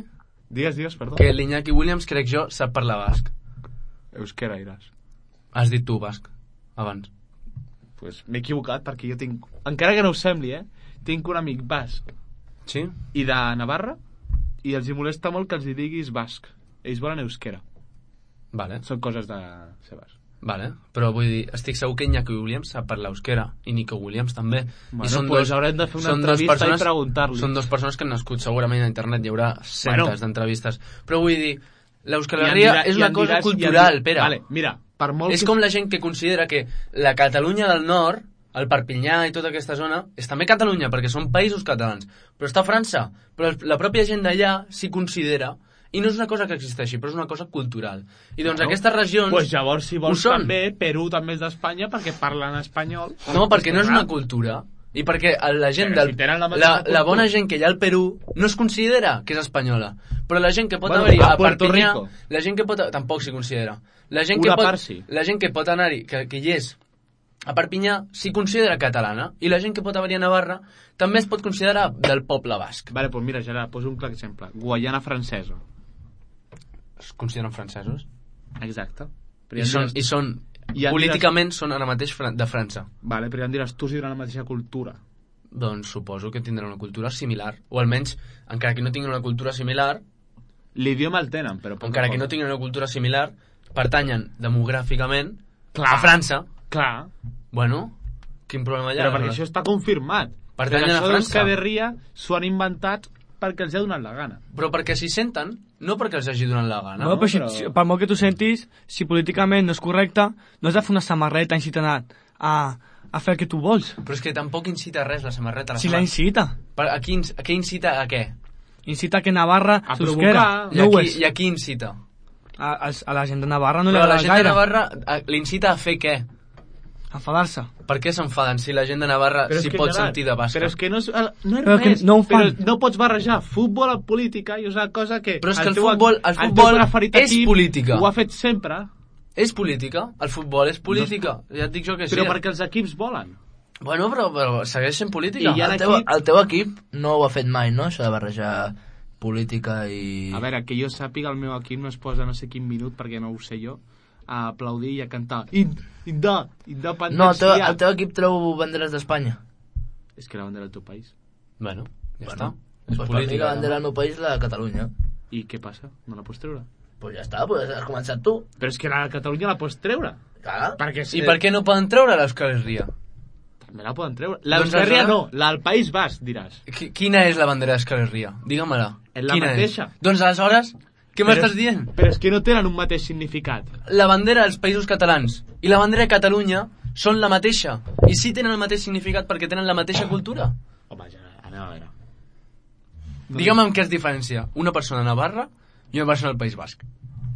Speaker 4: Digues, digues, perdó.
Speaker 3: que l'Iñaki Williams, crec jo, sap parlar basc.
Speaker 4: Euskera iràs.
Speaker 3: Has dit tu basc, abans.
Speaker 4: Pues m'he equivocat perquè jo tinc... Encara que no ho sembli, eh? Tinc un amic basc
Speaker 3: Sí?
Speaker 4: i de Navarra i els hi molesta molt que els hi diguis basc. Ells volen euskera.
Speaker 3: Vale.
Speaker 4: Són coses de seves.
Speaker 3: Vale, però vull dir, estic segur que Iñaki Williams sap parlar euskera i Nico Williams també.
Speaker 4: Bueno,
Speaker 3: I són
Speaker 4: pues
Speaker 3: dos,
Speaker 4: haurem de fer una
Speaker 3: són dos
Speaker 4: entrevista
Speaker 3: persones,
Speaker 4: i preguntar-li.
Speaker 3: Són dues persones que han nascut segurament a internet, hi haurà centes
Speaker 4: Bueno.
Speaker 3: d'entrevistes. Però vull dir, l'Euskal
Speaker 4: I em
Speaker 3: Herria
Speaker 4: dirà-
Speaker 3: és
Speaker 4: i
Speaker 3: una
Speaker 4: em
Speaker 3: cosa
Speaker 4: diràs- i em
Speaker 3: cultural,
Speaker 4: diràs-
Speaker 3: Pere.
Speaker 4: Vale, mira, per molt
Speaker 3: És
Speaker 4: que...
Speaker 3: com la gent que considera que la Catalunya del Nord, el Perpinyà i tota aquesta zona, és també Catalunya, perquè són països catalans. Però està a França. Però la pròpia gent d'allà s'hi considera, i no és una cosa que existeixi, però és una cosa cultural. I doncs
Speaker 4: No.
Speaker 3: aquestes regions...
Speaker 4: Pues llavors, si vols,
Speaker 3: ho són.
Speaker 4: també, Perú també és d'Espanya perquè parlen espanyol.
Speaker 3: No, perquè no és
Speaker 4: Clar.
Speaker 3: una cultura. I perquè la gent
Speaker 4: Però
Speaker 3: del...
Speaker 4: si tenen la
Speaker 3: la,
Speaker 4: mateixa
Speaker 3: la,
Speaker 4: cultura.
Speaker 3: bona gent que hi ha al Perú no es considera que és espanyola. Però la gent que pot
Speaker 4: Bueno,
Speaker 3: haver-hi
Speaker 4: a
Speaker 3: a
Speaker 4: Puerto
Speaker 3: Perpinyà...
Speaker 4: Rico.
Speaker 3: La gent que pot... Tampoc s'hi considera. La gent
Speaker 4: Una
Speaker 3: que pot,
Speaker 4: part sí.
Speaker 3: La gent que pot anar-hi, que, que hi és a Perpinyà, s'hi considera catalana. I la gent que pot haver-hi a Navarra també es pot considerar del poble basc.
Speaker 4: Vale, doncs mira, Gerard, poso un clar exemple. Guaiana francesa.
Speaker 3: Es consideren francesos.
Speaker 4: Exacte. Però
Speaker 3: I
Speaker 4: ja em
Speaker 3: són,
Speaker 4: diràs-
Speaker 3: i són
Speaker 4: i ja em
Speaker 3: políticament són ara mateix fran- de França.
Speaker 4: Vale, però ja em diràs tu si tenen la mateixa cultura.
Speaker 3: Doncs suposo que tindran una cultura similar. O almenys, encara que no tinguin una cultura similar,
Speaker 4: L'idioma el tenen, però... poca
Speaker 3: encara que
Speaker 4: cosa.
Speaker 3: no tinguin una cultura similar, pertanyen demogràficament
Speaker 4: Clar.
Speaker 3: a França.
Speaker 4: Clar,
Speaker 3: Bueno, quin problema hi ha?
Speaker 4: però perquè això està confirmat.
Speaker 3: Pertanyen
Speaker 4: Però
Speaker 3: a
Speaker 4: això
Speaker 3: França.
Speaker 4: d'Euskal Herria s'ho han inventat perquè els ha donat la gana.
Speaker 3: Però perquè s'hi senten, no perquè els hagi donat la gana.
Speaker 5: No, però, si,
Speaker 4: però-
Speaker 5: si, per molt que tu sentis, si políticament no és correcte, no has de fer una samarreta incitant a, a fer el que tu vols.
Speaker 3: Però és que tampoc incita a res la samarreta. La
Speaker 5: Si la
Speaker 3: samarreta.
Speaker 5: incita.
Speaker 3: Per- A, qui, inc- a què incita a què?
Speaker 5: Incita que Navarra
Speaker 4: A
Speaker 5: s'eusquera.
Speaker 4: provocar.
Speaker 3: I
Speaker 5: No
Speaker 3: a
Speaker 5: ho
Speaker 3: qui,
Speaker 5: és.
Speaker 3: I a qui incita?
Speaker 5: A, a, a la gent de Navarra no li
Speaker 3: Però la
Speaker 5: agrada
Speaker 3: gent de
Speaker 5: gaire.
Speaker 3: Navarra a- l'incita a fer què?
Speaker 5: Enfadar-se.
Speaker 3: Per què s'enfaden si la gent de Navarra
Speaker 4: Però és
Speaker 3: s'hi
Speaker 4: que,
Speaker 3: pot
Speaker 4: Gerard,
Speaker 3: sentir de basca?
Speaker 4: Però és que no és, no és
Speaker 5: Però que
Speaker 4: res.
Speaker 5: no ho fan.
Speaker 4: Però no pots barrejar futbol amb política i és una cosa que...
Speaker 3: Però és que el
Speaker 4: teu-
Speaker 3: futbol- el
Speaker 4: teu
Speaker 3: futbol
Speaker 4: preferit
Speaker 3: és
Speaker 4: equip
Speaker 3: política.
Speaker 4: Ho ha fet sempre,
Speaker 3: És política, el futbol és política. Ja et dic jo que sí.
Speaker 4: però perquè els equips volen.
Speaker 3: Bueno, però, però segueix sent política.
Speaker 4: I hi ha
Speaker 2: El teu,
Speaker 4: equip-
Speaker 2: el teu equip no ho ha fet mai, no? Això de barrejar política i...
Speaker 4: A veure, que jo sàpiga, el meu equip no es posa no sé quin minut, perquè no ho sé jo, a aplaudir i a cantar Ind, Inda, Independència.
Speaker 2: No, el teu, el teu equip treu banderes d'Espanya.
Speaker 4: És que la bandera del teu país.
Speaker 3: Bueno, ja
Speaker 2: Bueno,
Speaker 3: està. És
Speaker 2: Pues per mi
Speaker 3: política.
Speaker 2: la bandera del meu país, la de Catalunya.
Speaker 4: I què passa? No la pots treure?
Speaker 2: Pues ja està, pues has començat tu.
Speaker 4: Però és que la Catalunya la pots treure.
Speaker 2: Clar.
Speaker 4: Perquè
Speaker 3: I per què no poden treure l'Euskal Herria?
Speaker 4: També la poden treure. L'Euskal Herria no, la del País Basc, diràs.
Speaker 3: Qu- Quina és la bandera d'Euskal Herria? Digue-me-la.
Speaker 4: És la
Speaker 3: Quina
Speaker 4: mateixa.
Speaker 3: És? Doncs aleshores, què
Speaker 4: Però
Speaker 3: m'estàs
Speaker 4: és-
Speaker 3: dient?
Speaker 4: Però és que no tenen un mateix significat.
Speaker 3: La bandera dels països catalans i la bandera de Catalunya són la mateixa. I sí tenen el mateix significat perquè tenen la mateixa cultura.
Speaker 4: Home, ja, anem a veure.
Speaker 3: Digue'm en què es diferencia una persona de Navarra i una persona del País Basc.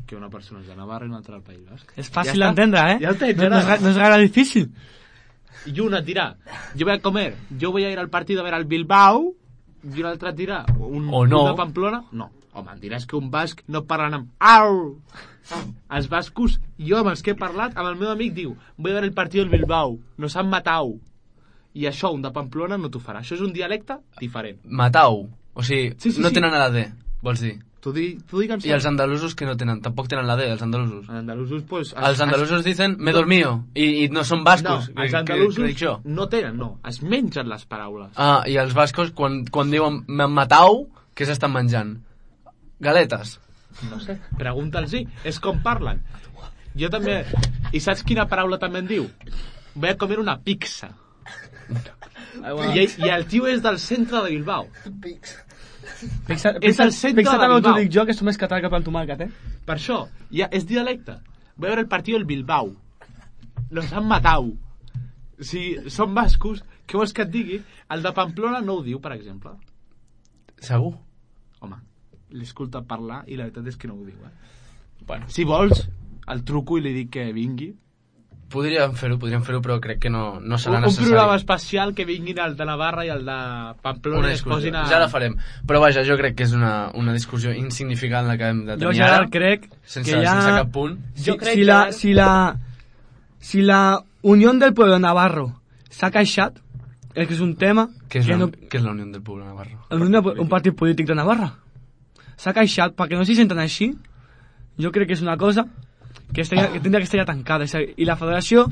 Speaker 4: Que una persona és de Navarra i una altra del País Basc.
Speaker 5: És fàcil
Speaker 4: Ja està.
Speaker 5: d'entendre, eh?
Speaker 4: Ja està,
Speaker 5: no, no, és,
Speaker 4: Gerard.
Speaker 5: ga- no és gaire difícil.
Speaker 4: Y una et dirà, yo voy a comer, yo voy a ir al partido a ver al Bilbao, i una altra et dirà, un,
Speaker 3: O no.
Speaker 4: un de Pamplona, no. Home, em diràs que un basc no parlen amb au. Els bascos, jo amb els que he parlat, amb el meu amic diu, voy a ver el partido del Bilbao, nos han matau. I això, un de Pamplona no t'ho farà. Això és un dialecte diferent.
Speaker 3: Matau. O sigui,
Speaker 4: Sí, sí,
Speaker 3: no
Speaker 4: sí.
Speaker 3: tenen la D, vols dir.
Speaker 4: Tu, di, tu digue'm...
Speaker 3: I els andalusos que no tenen, tampoc tenen la D, els andalusos.
Speaker 4: Els andalusos, pues...
Speaker 3: Els andalusos dicen me dormío i, i no són bascos.
Speaker 4: No, els
Speaker 3: que-
Speaker 4: andalusos
Speaker 3: que, que dic jo.
Speaker 4: no tenen, no. Es mengen les paraules.
Speaker 3: Ah, i els bascos quan, quan diuen me matau, què s'estan menjant? Galetes.
Speaker 4: No sé, pregunta'ls-hi. És com parlen. Jo també... I saps quina paraula també en diu? Voy a comer una pizza. I, I el tio és del centre de Bilbao.
Speaker 5: Fixa,
Speaker 4: És el centre
Speaker 5: fixa
Speaker 4: de
Speaker 5: també el que
Speaker 4: Bilbao.
Speaker 5: dic jo, que és més català que pel tomàquet, eh?
Speaker 4: Per això, ja és dialecte. Voy a ver el partido del Bilbao. Los han matau. Si són bascos, què vols que et digui? El de Pamplona no ho diu, per exemple.
Speaker 3: Segur?
Speaker 4: Home, l'escolta parlar i la veritat és que no ho diu, eh?
Speaker 3: Bueno,
Speaker 4: Si vols, el truco i li dic que vingui.
Speaker 3: podríem fer-ho, podríem fer-ho, però crec que no, no serà
Speaker 4: Un, un
Speaker 3: necessari.
Speaker 4: programa especial que vinguin el de Navarra i el de Pamplona
Speaker 3: Una
Speaker 4: i es
Speaker 3: discussió.
Speaker 4: posin a...
Speaker 3: Ja la farem. Però vaja, jo crec que és una, una discussió insignificant la que hem de
Speaker 5: Jo
Speaker 3: tenir
Speaker 5: ja
Speaker 3: ara,
Speaker 5: crec
Speaker 3: sense,
Speaker 5: que ja...
Speaker 3: sense cap punt.
Speaker 5: Si,
Speaker 4: Jo crec
Speaker 5: si,
Speaker 4: que
Speaker 5: la,
Speaker 4: ara-
Speaker 5: si, la, si la Unió del Pueblo Navarro s'ha queixat, és que és un tema...
Speaker 3: Què és,
Speaker 5: que
Speaker 3: la,
Speaker 5: no,
Speaker 3: què és la Unió del Poble de Navarra?
Speaker 5: la Unió de- un partit polític de Navarra. S'ha queixat perquè no s'hi senten així. Jo crec que és una cosa que, estaria, que tindria que estar ja tancada. És a dir, I la federació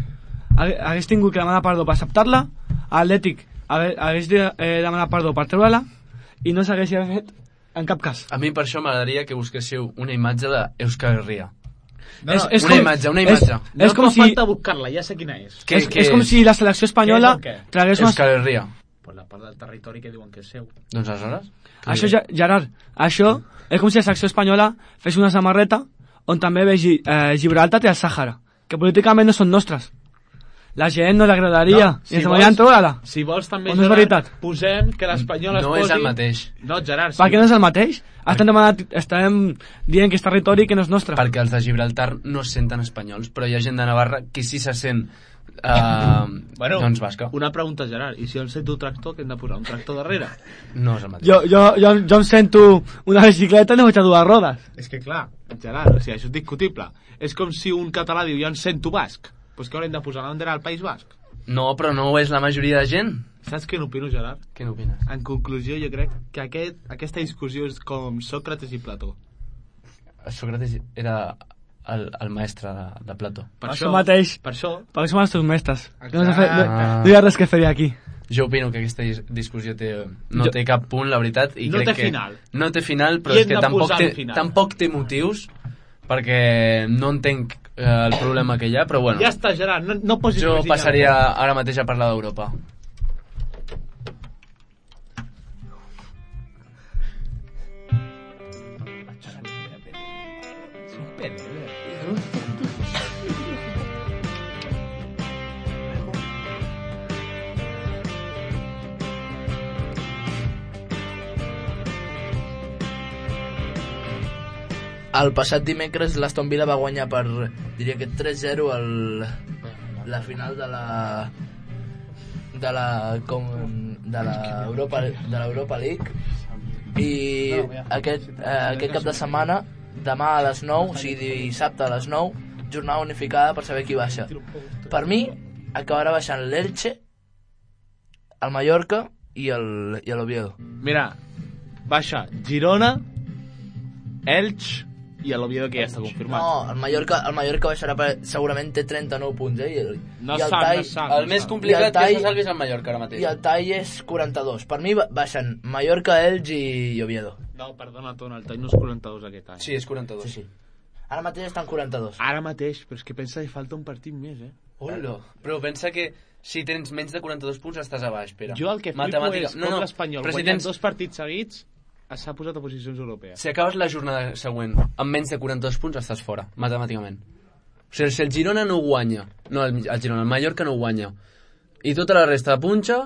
Speaker 5: hagués hagués tingut que demanar perdó per acceptar-la, Atlètic hagués, hagués de eh, demanar perdó per treure-la i no s'hagués fet en cap cas.
Speaker 3: A mi per això m'agradaria que busquéssiu una imatge d'Euskal Herria.
Speaker 4: No,
Speaker 5: és,
Speaker 4: no,
Speaker 5: és
Speaker 3: una
Speaker 5: com,
Speaker 3: imatge, una
Speaker 5: És,
Speaker 3: imatge.
Speaker 4: no
Speaker 5: és, com
Speaker 4: fa
Speaker 5: si,
Speaker 4: falta buscar-la, ja sé quina és.
Speaker 3: Què-
Speaker 5: és,
Speaker 3: què
Speaker 5: és com
Speaker 3: és?
Speaker 5: si la selecció espanyola
Speaker 4: Què és el què?
Speaker 5: tragués una...
Speaker 3: Euskal Herria.
Speaker 4: Pues la part del territori que diuen que és seu.
Speaker 3: Doncs aleshores?
Speaker 5: Això, ja- Gerard, això és com si la selecció espanyola fes una samarreta on també vegi eh, Gibraltar i el Sàhara, que políticament no són nostres. La gent no li agradaria,
Speaker 4: No,
Speaker 5: i
Speaker 4: si
Speaker 5: ens
Speaker 4: vols-
Speaker 5: volen treure-la.
Speaker 4: Si vols també,
Speaker 5: O no és
Speaker 4: Gerard,
Speaker 5: veritat?
Speaker 4: posem que l'espanyol es
Speaker 3: No
Speaker 4: posi...
Speaker 3: és el mateix.
Speaker 4: No, Gerard,
Speaker 5: Per què no és el mateix? Estem, demanant, estem dient que és territori que no és nostre.
Speaker 3: Perquè els de Gibraltar no es senten espanyols, però hi ha gent de Navarra que sí se sent eh,
Speaker 4: Bueno,
Speaker 3: doncs basca.
Speaker 4: una pregunta, Gerard. I si jo em sento tractor, que hem de posar un tractor darrere?
Speaker 3: No és el mateix.
Speaker 5: Jo, jo, jo, jo em sento una bicicleta i no vaig a dues rodes.
Speaker 4: És que clar, Gerard, o sigui, això és discutible. És com si un català diu, jo em sento basc. Doncs pues que haurem de posar la bandera al País Basc.
Speaker 3: No, però no ho és la majoria de gent.
Speaker 4: Saps què n'opino, Gerard?
Speaker 3: Què n'opines?
Speaker 4: En conclusió, jo crec que aquest, aquesta discussió és com Sòcrates i Plató.
Speaker 3: Sòcrates era el, el mestre de, de Plató.
Speaker 4: Per
Speaker 5: Això mateix.
Speaker 4: Per això,
Speaker 5: Perquè som els teus mestres. No, no,
Speaker 4: Exacte.
Speaker 5: no, no hi ha res que fer aquí.
Speaker 3: Jo opino que aquesta dis- discussió té, no
Speaker 5: Jo-
Speaker 3: té cap punt, la veritat, i
Speaker 4: No
Speaker 3: crec
Speaker 4: té
Speaker 3: que
Speaker 4: final.
Speaker 3: no té final, però
Speaker 4: I
Speaker 3: és
Speaker 4: hem
Speaker 3: que
Speaker 4: de
Speaker 3: tampoc
Speaker 4: posar
Speaker 3: té,
Speaker 4: un final.
Speaker 3: tampoc té motius, perquè no entenc eh, el problema que hi ha, però bueno,
Speaker 4: ja està, Gerard, no, no posis
Speaker 3: jo
Speaker 4: més diners.
Speaker 3: passaria ara mateix a parlar d'Europa.
Speaker 2: El passat dimecres l'Aston Villa va guanyar per, diria que tres zero el, la final de la de la com, de la Europa de l'Europa League i aquest, eh, aquest cap de setmana demà a les nou, o sigui dissabte a les nou, jornada unificada per saber qui baixa. Per mi acabarà baixant l'Elche, el Mallorca i el i l'Oviedo.
Speaker 4: Mira, baixa Girona, Elx i l'Oviedo, que ja està confirmat.
Speaker 2: No, el Mallorca, el Mallorca baixarà per, segurament té trenta-nou punts, eh? I el,
Speaker 4: No
Speaker 2: i el
Speaker 4: sap,
Speaker 2: Tai,
Speaker 4: no sap.
Speaker 3: El més complicat
Speaker 2: I el
Speaker 3: que
Speaker 2: Tai-
Speaker 3: se salvi és el Mallorca ara mateix.
Speaker 2: i el Tai és quaranta-dos. Per mi ba- baixen Mallorca, Elx i Oviedo.
Speaker 4: No, perdona, Tona, el Tai no és quaranta-dos aquest any.
Speaker 3: Sí, és quaranta-dos.
Speaker 2: Sí, sí. Ara mateix estan quaranta-dos.
Speaker 4: Ara mateix, però és que pensa que falta un partit més, eh?
Speaker 3: Hola. Però pensa que si tens menys de quaranta-dos punts estàs a baix, Pere.
Speaker 4: Jo el que flipo
Speaker 3: Matemàtica...
Speaker 4: és com l'Espanyol
Speaker 3: però si
Speaker 4: guanyant
Speaker 3: tens...
Speaker 4: dos partits seguits s'ha posat a posicions europees.
Speaker 3: Si acabes la jornada següent amb menys de quaranta-dos punts estàs fora, matemàticament. O sigui, si el Girona no guanya, no el, el Girona, el Mallorca no guanya, i tota la resta punxa,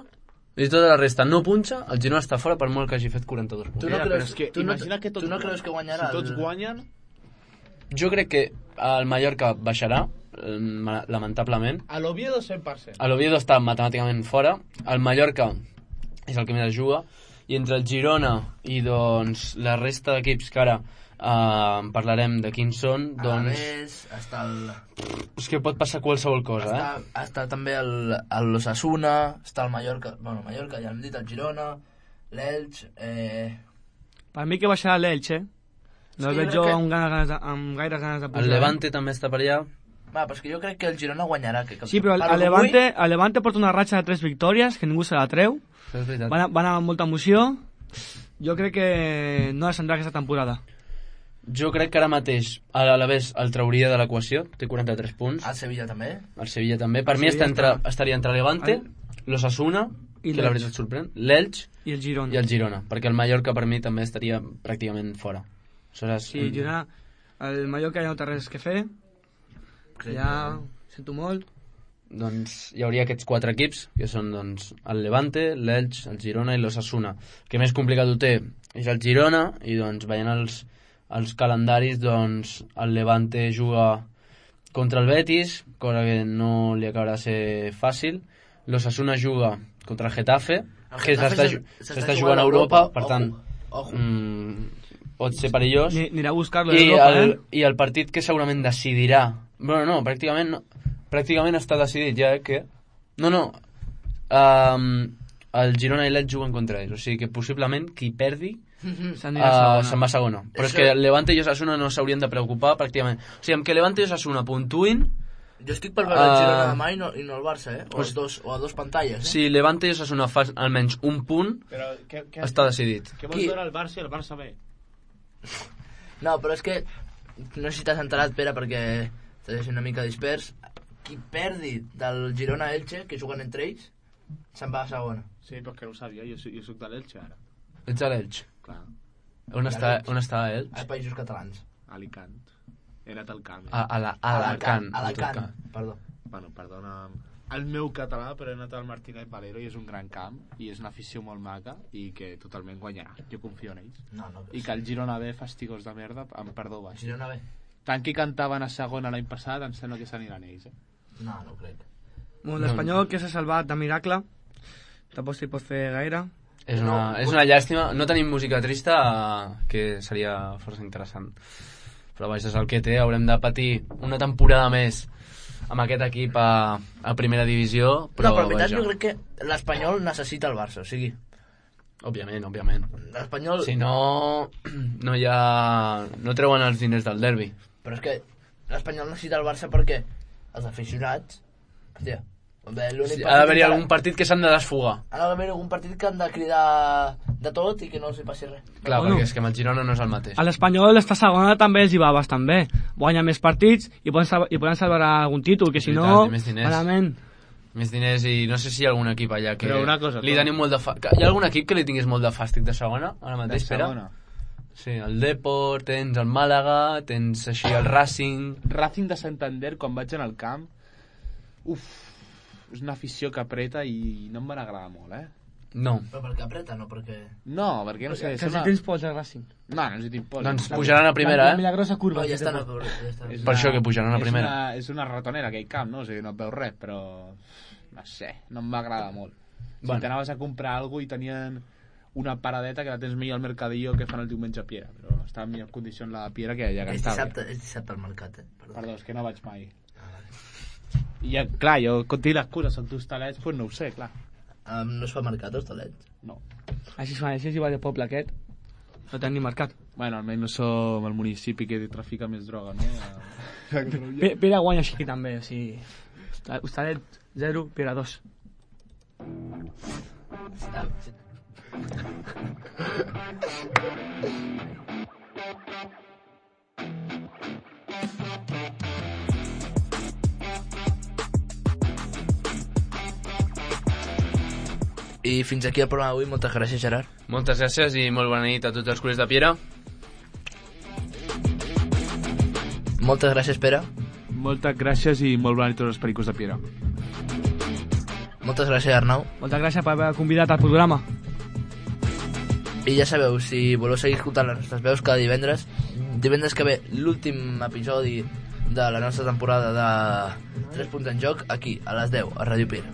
Speaker 3: i tota la resta no punxa, el Girona està fora per molt que hagi fet quaranta-dos punts.
Speaker 2: Tu no
Speaker 4: Mira,
Speaker 2: creus,
Speaker 4: però és que
Speaker 2: tu no,
Speaker 4: imagina que tots,
Speaker 2: tu no creus que guanyarà?
Speaker 4: Si tots
Speaker 2: el...
Speaker 4: guanyen...
Speaker 3: Jo crec que el Mallorca baixarà, lamentablement.
Speaker 4: A l'Oviedo cent per cent.
Speaker 3: L'Oviedo està matemàticament fora, el Mallorca és el que més es juga, i entre el Girona i doncs la resta d'equips que ara uh, parlarem de quins són, doncs...
Speaker 2: Alavés, està el...
Speaker 3: És que pot passar qualsevol cosa,
Speaker 2: està,
Speaker 3: eh?
Speaker 2: està també el, el l'Osasuna, està el Mallorca, bueno, el Mallorca, ja hem dit, el Girona, l'Elx, eh...
Speaker 5: Per mi que baixarà l'Elx, eh? No el
Speaker 2: Sí,
Speaker 5: veig
Speaker 2: jo
Speaker 5: jo
Speaker 2: crec que-
Speaker 5: amb, ganes, de- amb gaire ganes de pujar.
Speaker 3: El Levante també està per allà.
Speaker 2: Va, però és que jo crec que el Girona guanyarà. Que, que
Speaker 5: Sí, però el, el, Levante, el Levante porta una ratxa de tres victòries, que ningú se la treu.
Speaker 3: Això és veritat.
Speaker 5: Van, a- van amb molta emoció. Jo crec que no descendrà aquesta temporada.
Speaker 3: Jo crec que ara mateix a l'Alavés el trauria de l'equació, té quaranta-tres punts.
Speaker 2: El Sevilla també.
Speaker 3: El Sevilla també. Per
Speaker 5: El
Speaker 3: mi està
Speaker 5: Sevilla
Speaker 3: entre,
Speaker 5: està-
Speaker 3: estaria entre Levante, l'Osasuna,
Speaker 5: I
Speaker 3: que la
Speaker 5: l'Elx.
Speaker 3: veritat sorprèn, l'Elx
Speaker 5: I el Girona.
Speaker 3: i el Girona, perquè el Mallorca per mi també estaria pràcticament fora. Aleshores,
Speaker 5: Sí, el Girona... El Mallorca ja no té res que fer. Ja... Sento molt.
Speaker 3: doncs hi hauria aquests quatre equips, que són doncs, el Levante, l'Elx, el Girona i l'Osasuna. El que més complicat ho té és el Girona, i doncs veient els, els calendaris, doncs el Levante juga contra el Betis, cosa que no li acabarà de ser fàcil. L'Osasuna juga contra el Getafe,
Speaker 2: El
Speaker 3: que
Speaker 2: Getafe
Speaker 3: s'està
Speaker 2: s'està
Speaker 3: ju- s'està jugant a Europa, per tant,
Speaker 2: Ojo.
Speaker 3: mm, pot ser perillós.
Speaker 5: Ni, anirà a buscar-lo a
Speaker 3: I
Speaker 5: Europa,
Speaker 3: el,
Speaker 5: eh?
Speaker 3: I el partit que segurament decidirà... Bueno, no, pràcticament, no, pràcticament està decidit ja, eh, que... No, no, um, el Girona i l'Elx juguen contra ells, o sigui que possiblement qui perdi
Speaker 5: S'anirà a
Speaker 3: uh,
Speaker 5: segona.
Speaker 3: se'n va a segona. Però és
Speaker 2: Això-
Speaker 3: que el Levante i Osasuna no s'haurien de preocupar pràcticament. O sigui, amb que Levante i Osasuna puntuïn,
Speaker 2: Jo estic per veure el Girona
Speaker 3: Ah.
Speaker 2: demà i no, i no el Barça, eh? O,
Speaker 3: Pues-
Speaker 2: els dos, o a dos pantalles, eh?
Speaker 3: si Levante i Osasuna fa almenys un punt,
Speaker 4: Però què, què,
Speaker 3: està decidit.
Speaker 4: què vols
Speaker 2: Qui-
Speaker 4: veure el Barça i el Barça B?
Speaker 2: No, però és que... No sé si t'has enterat, Pere, perquè estàs una mica dispers. Qui perdi del Girona-Elche, que juguen entre ells, se'n va a segona.
Speaker 4: Sí, però que no ho sabia, jo, soc- jo soc de l'Elche ara.
Speaker 3: Ets a l'Elx.
Speaker 4: Clar,
Speaker 3: On està, on està Elx?
Speaker 2: Als Països Catalans.
Speaker 4: Alicant. He anat al camp.
Speaker 3: A, a, la, a Alacant. en tot
Speaker 2: Alacant,
Speaker 3: cas.
Speaker 2: perdó.
Speaker 4: Bueno, perdona el meu català, però he anat al Martínez Valero i és un gran camp i és una afició molt maca i que totalment guanyarà. Jo confio en ells.
Speaker 2: No, no.
Speaker 4: I que el Girona B, fastigós de merda, amb perdó baix.
Speaker 2: Girona bé?
Speaker 4: Tant que cantaven a segona l'any passat, em sembla que s'aniran ells, eh?
Speaker 2: No, no ho crec.
Speaker 5: Bueno, l'Espanyol, que s'ha salvat de miracle, tampoc s'hi pot fer gaire.
Speaker 3: És una, és una llàstima. No tenim música trista, eh, que seria força interessant. Però vaja, és el que té. Haurem de patir una temporada més amb aquest equip a, a primera divisió. Però,
Speaker 2: no, però en veritat
Speaker 3: vaja,
Speaker 2: jo crec que l'Espanyol necessita el Barça, o sigui,
Speaker 3: òbviament, òbviament.
Speaker 2: l'Espanyol...
Speaker 3: Si no, no hi ha... No treuen els diners del derbi.
Speaker 2: Però és que l'Espanyol necessita el Barça perquè els aficionats... Hòstia, bé, l'únic
Speaker 3: Sí, ha d'haver-hi
Speaker 2: que-
Speaker 3: algun partit que s'han de desfogar.
Speaker 2: Ha d'haver algun partit que han de cridar de tot i que no els hi passi res.
Speaker 3: Clar,
Speaker 5: Bueno.
Speaker 3: perquè és que amb el Girona no és el mateix.
Speaker 5: A l'Espanyol esta segona també els hi va bastant bé. Guanya més partits i poden, salvar, i poden salvar algun títol, que si
Speaker 3: Veritat,
Speaker 5: no,
Speaker 3: i més diners.
Speaker 5: malament.
Speaker 3: Més diners i no sé si hi ha algun equip allà que
Speaker 4: Però una cosa,
Speaker 3: li
Speaker 4: Tom.
Speaker 3: tenim molt de fa... que Hi ha algun equip que li tingués molt de fàstic de segona ara
Speaker 4: De
Speaker 3: mateix, Pere?
Speaker 4: segona.
Speaker 3: Sí, el Depor, tens el Màlaga, tens així el Racing...
Speaker 4: Racing de Santander, quan vaig anar al camp, uf, és una afició que apreta i no em van agradar molt, eh?
Speaker 3: No.
Speaker 2: Però perquè apreta, no perquè...
Speaker 4: No, perquè no sé...
Speaker 5: Que
Speaker 4: és
Speaker 5: si
Speaker 4: una...
Speaker 5: tens pols al Racing.
Speaker 4: No, no els hi tinc por.
Speaker 3: Doncs
Speaker 4: La-
Speaker 3: pujaran a primera,
Speaker 5: La
Speaker 3: eh?
Speaker 5: milagrosa curva.
Speaker 2: No, ja
Speaker 5: que
Speaker 2: està,
Speaker 5: té
Speaker 2: no,
Speaker 5: por.
Speaker 2: ja està.
Speaker 4: és
Speaker 3: Per això que pujaran a
Speaker 4: és
Speaker 3: primera.
Speaker 4: Una, és una ratonera, aquell camp, no? O sigui, no et veus res, però... No sé, no em va agradar molt. Si
Speaker 3: Bueno.
Speaker 4: t'anaves a comprar alguna cosa i tenien una paradeta que la tens millor al Mercadillo que fan el diumenge a Piera, però està en millor condició la Piera que allà que
Speaker 2: És
Speaker 4: estava.
Speaker 2: dissabte, és dissabte al mercat, eh? Perdó.
Speaker 4: Perdó, és que no vaig mai. I ja, clar, jo contigo l'excusa, són t'hostalets, doncs no ho sé, clar.
Speaker 2: Um, no es fa mercat, hostalets?
Speaker 4: No.
Speaker 5: Així es fa, així es diu el poble aquest. No tenen ni mercat.
Speaker 4: Bueno, almenys no som el municipi que trafica més droga, no?
Speaker 5: Pe- Pere guanya així també, o sigui... Hostalet zero, Pere dos.
Speaker 2: Ah, sí. I fins aquí el programa d'avui. Moltes gràcies, Gerard.
Speaker 3: Moltes gràcies i molt bona nit a tots els culers de Piera.
Speaker 2: Moltes gràcies, Pere.
Speaker 4: Moltes gràcies i molt bona nit a tots els pericos de Piera.
Speaker 2: Moltes gràcies, Arnau.
Speaker 5: Moltes gràcies per haver convidat al programa.
Speaker 2: I ja sabeu, si voleu seguir escoltant les nostres veus cada divendres, divendres que ve l'últim episodi de la nostra temporada de tres punts en joc, aquí, a les deu, a Ràdio Piera.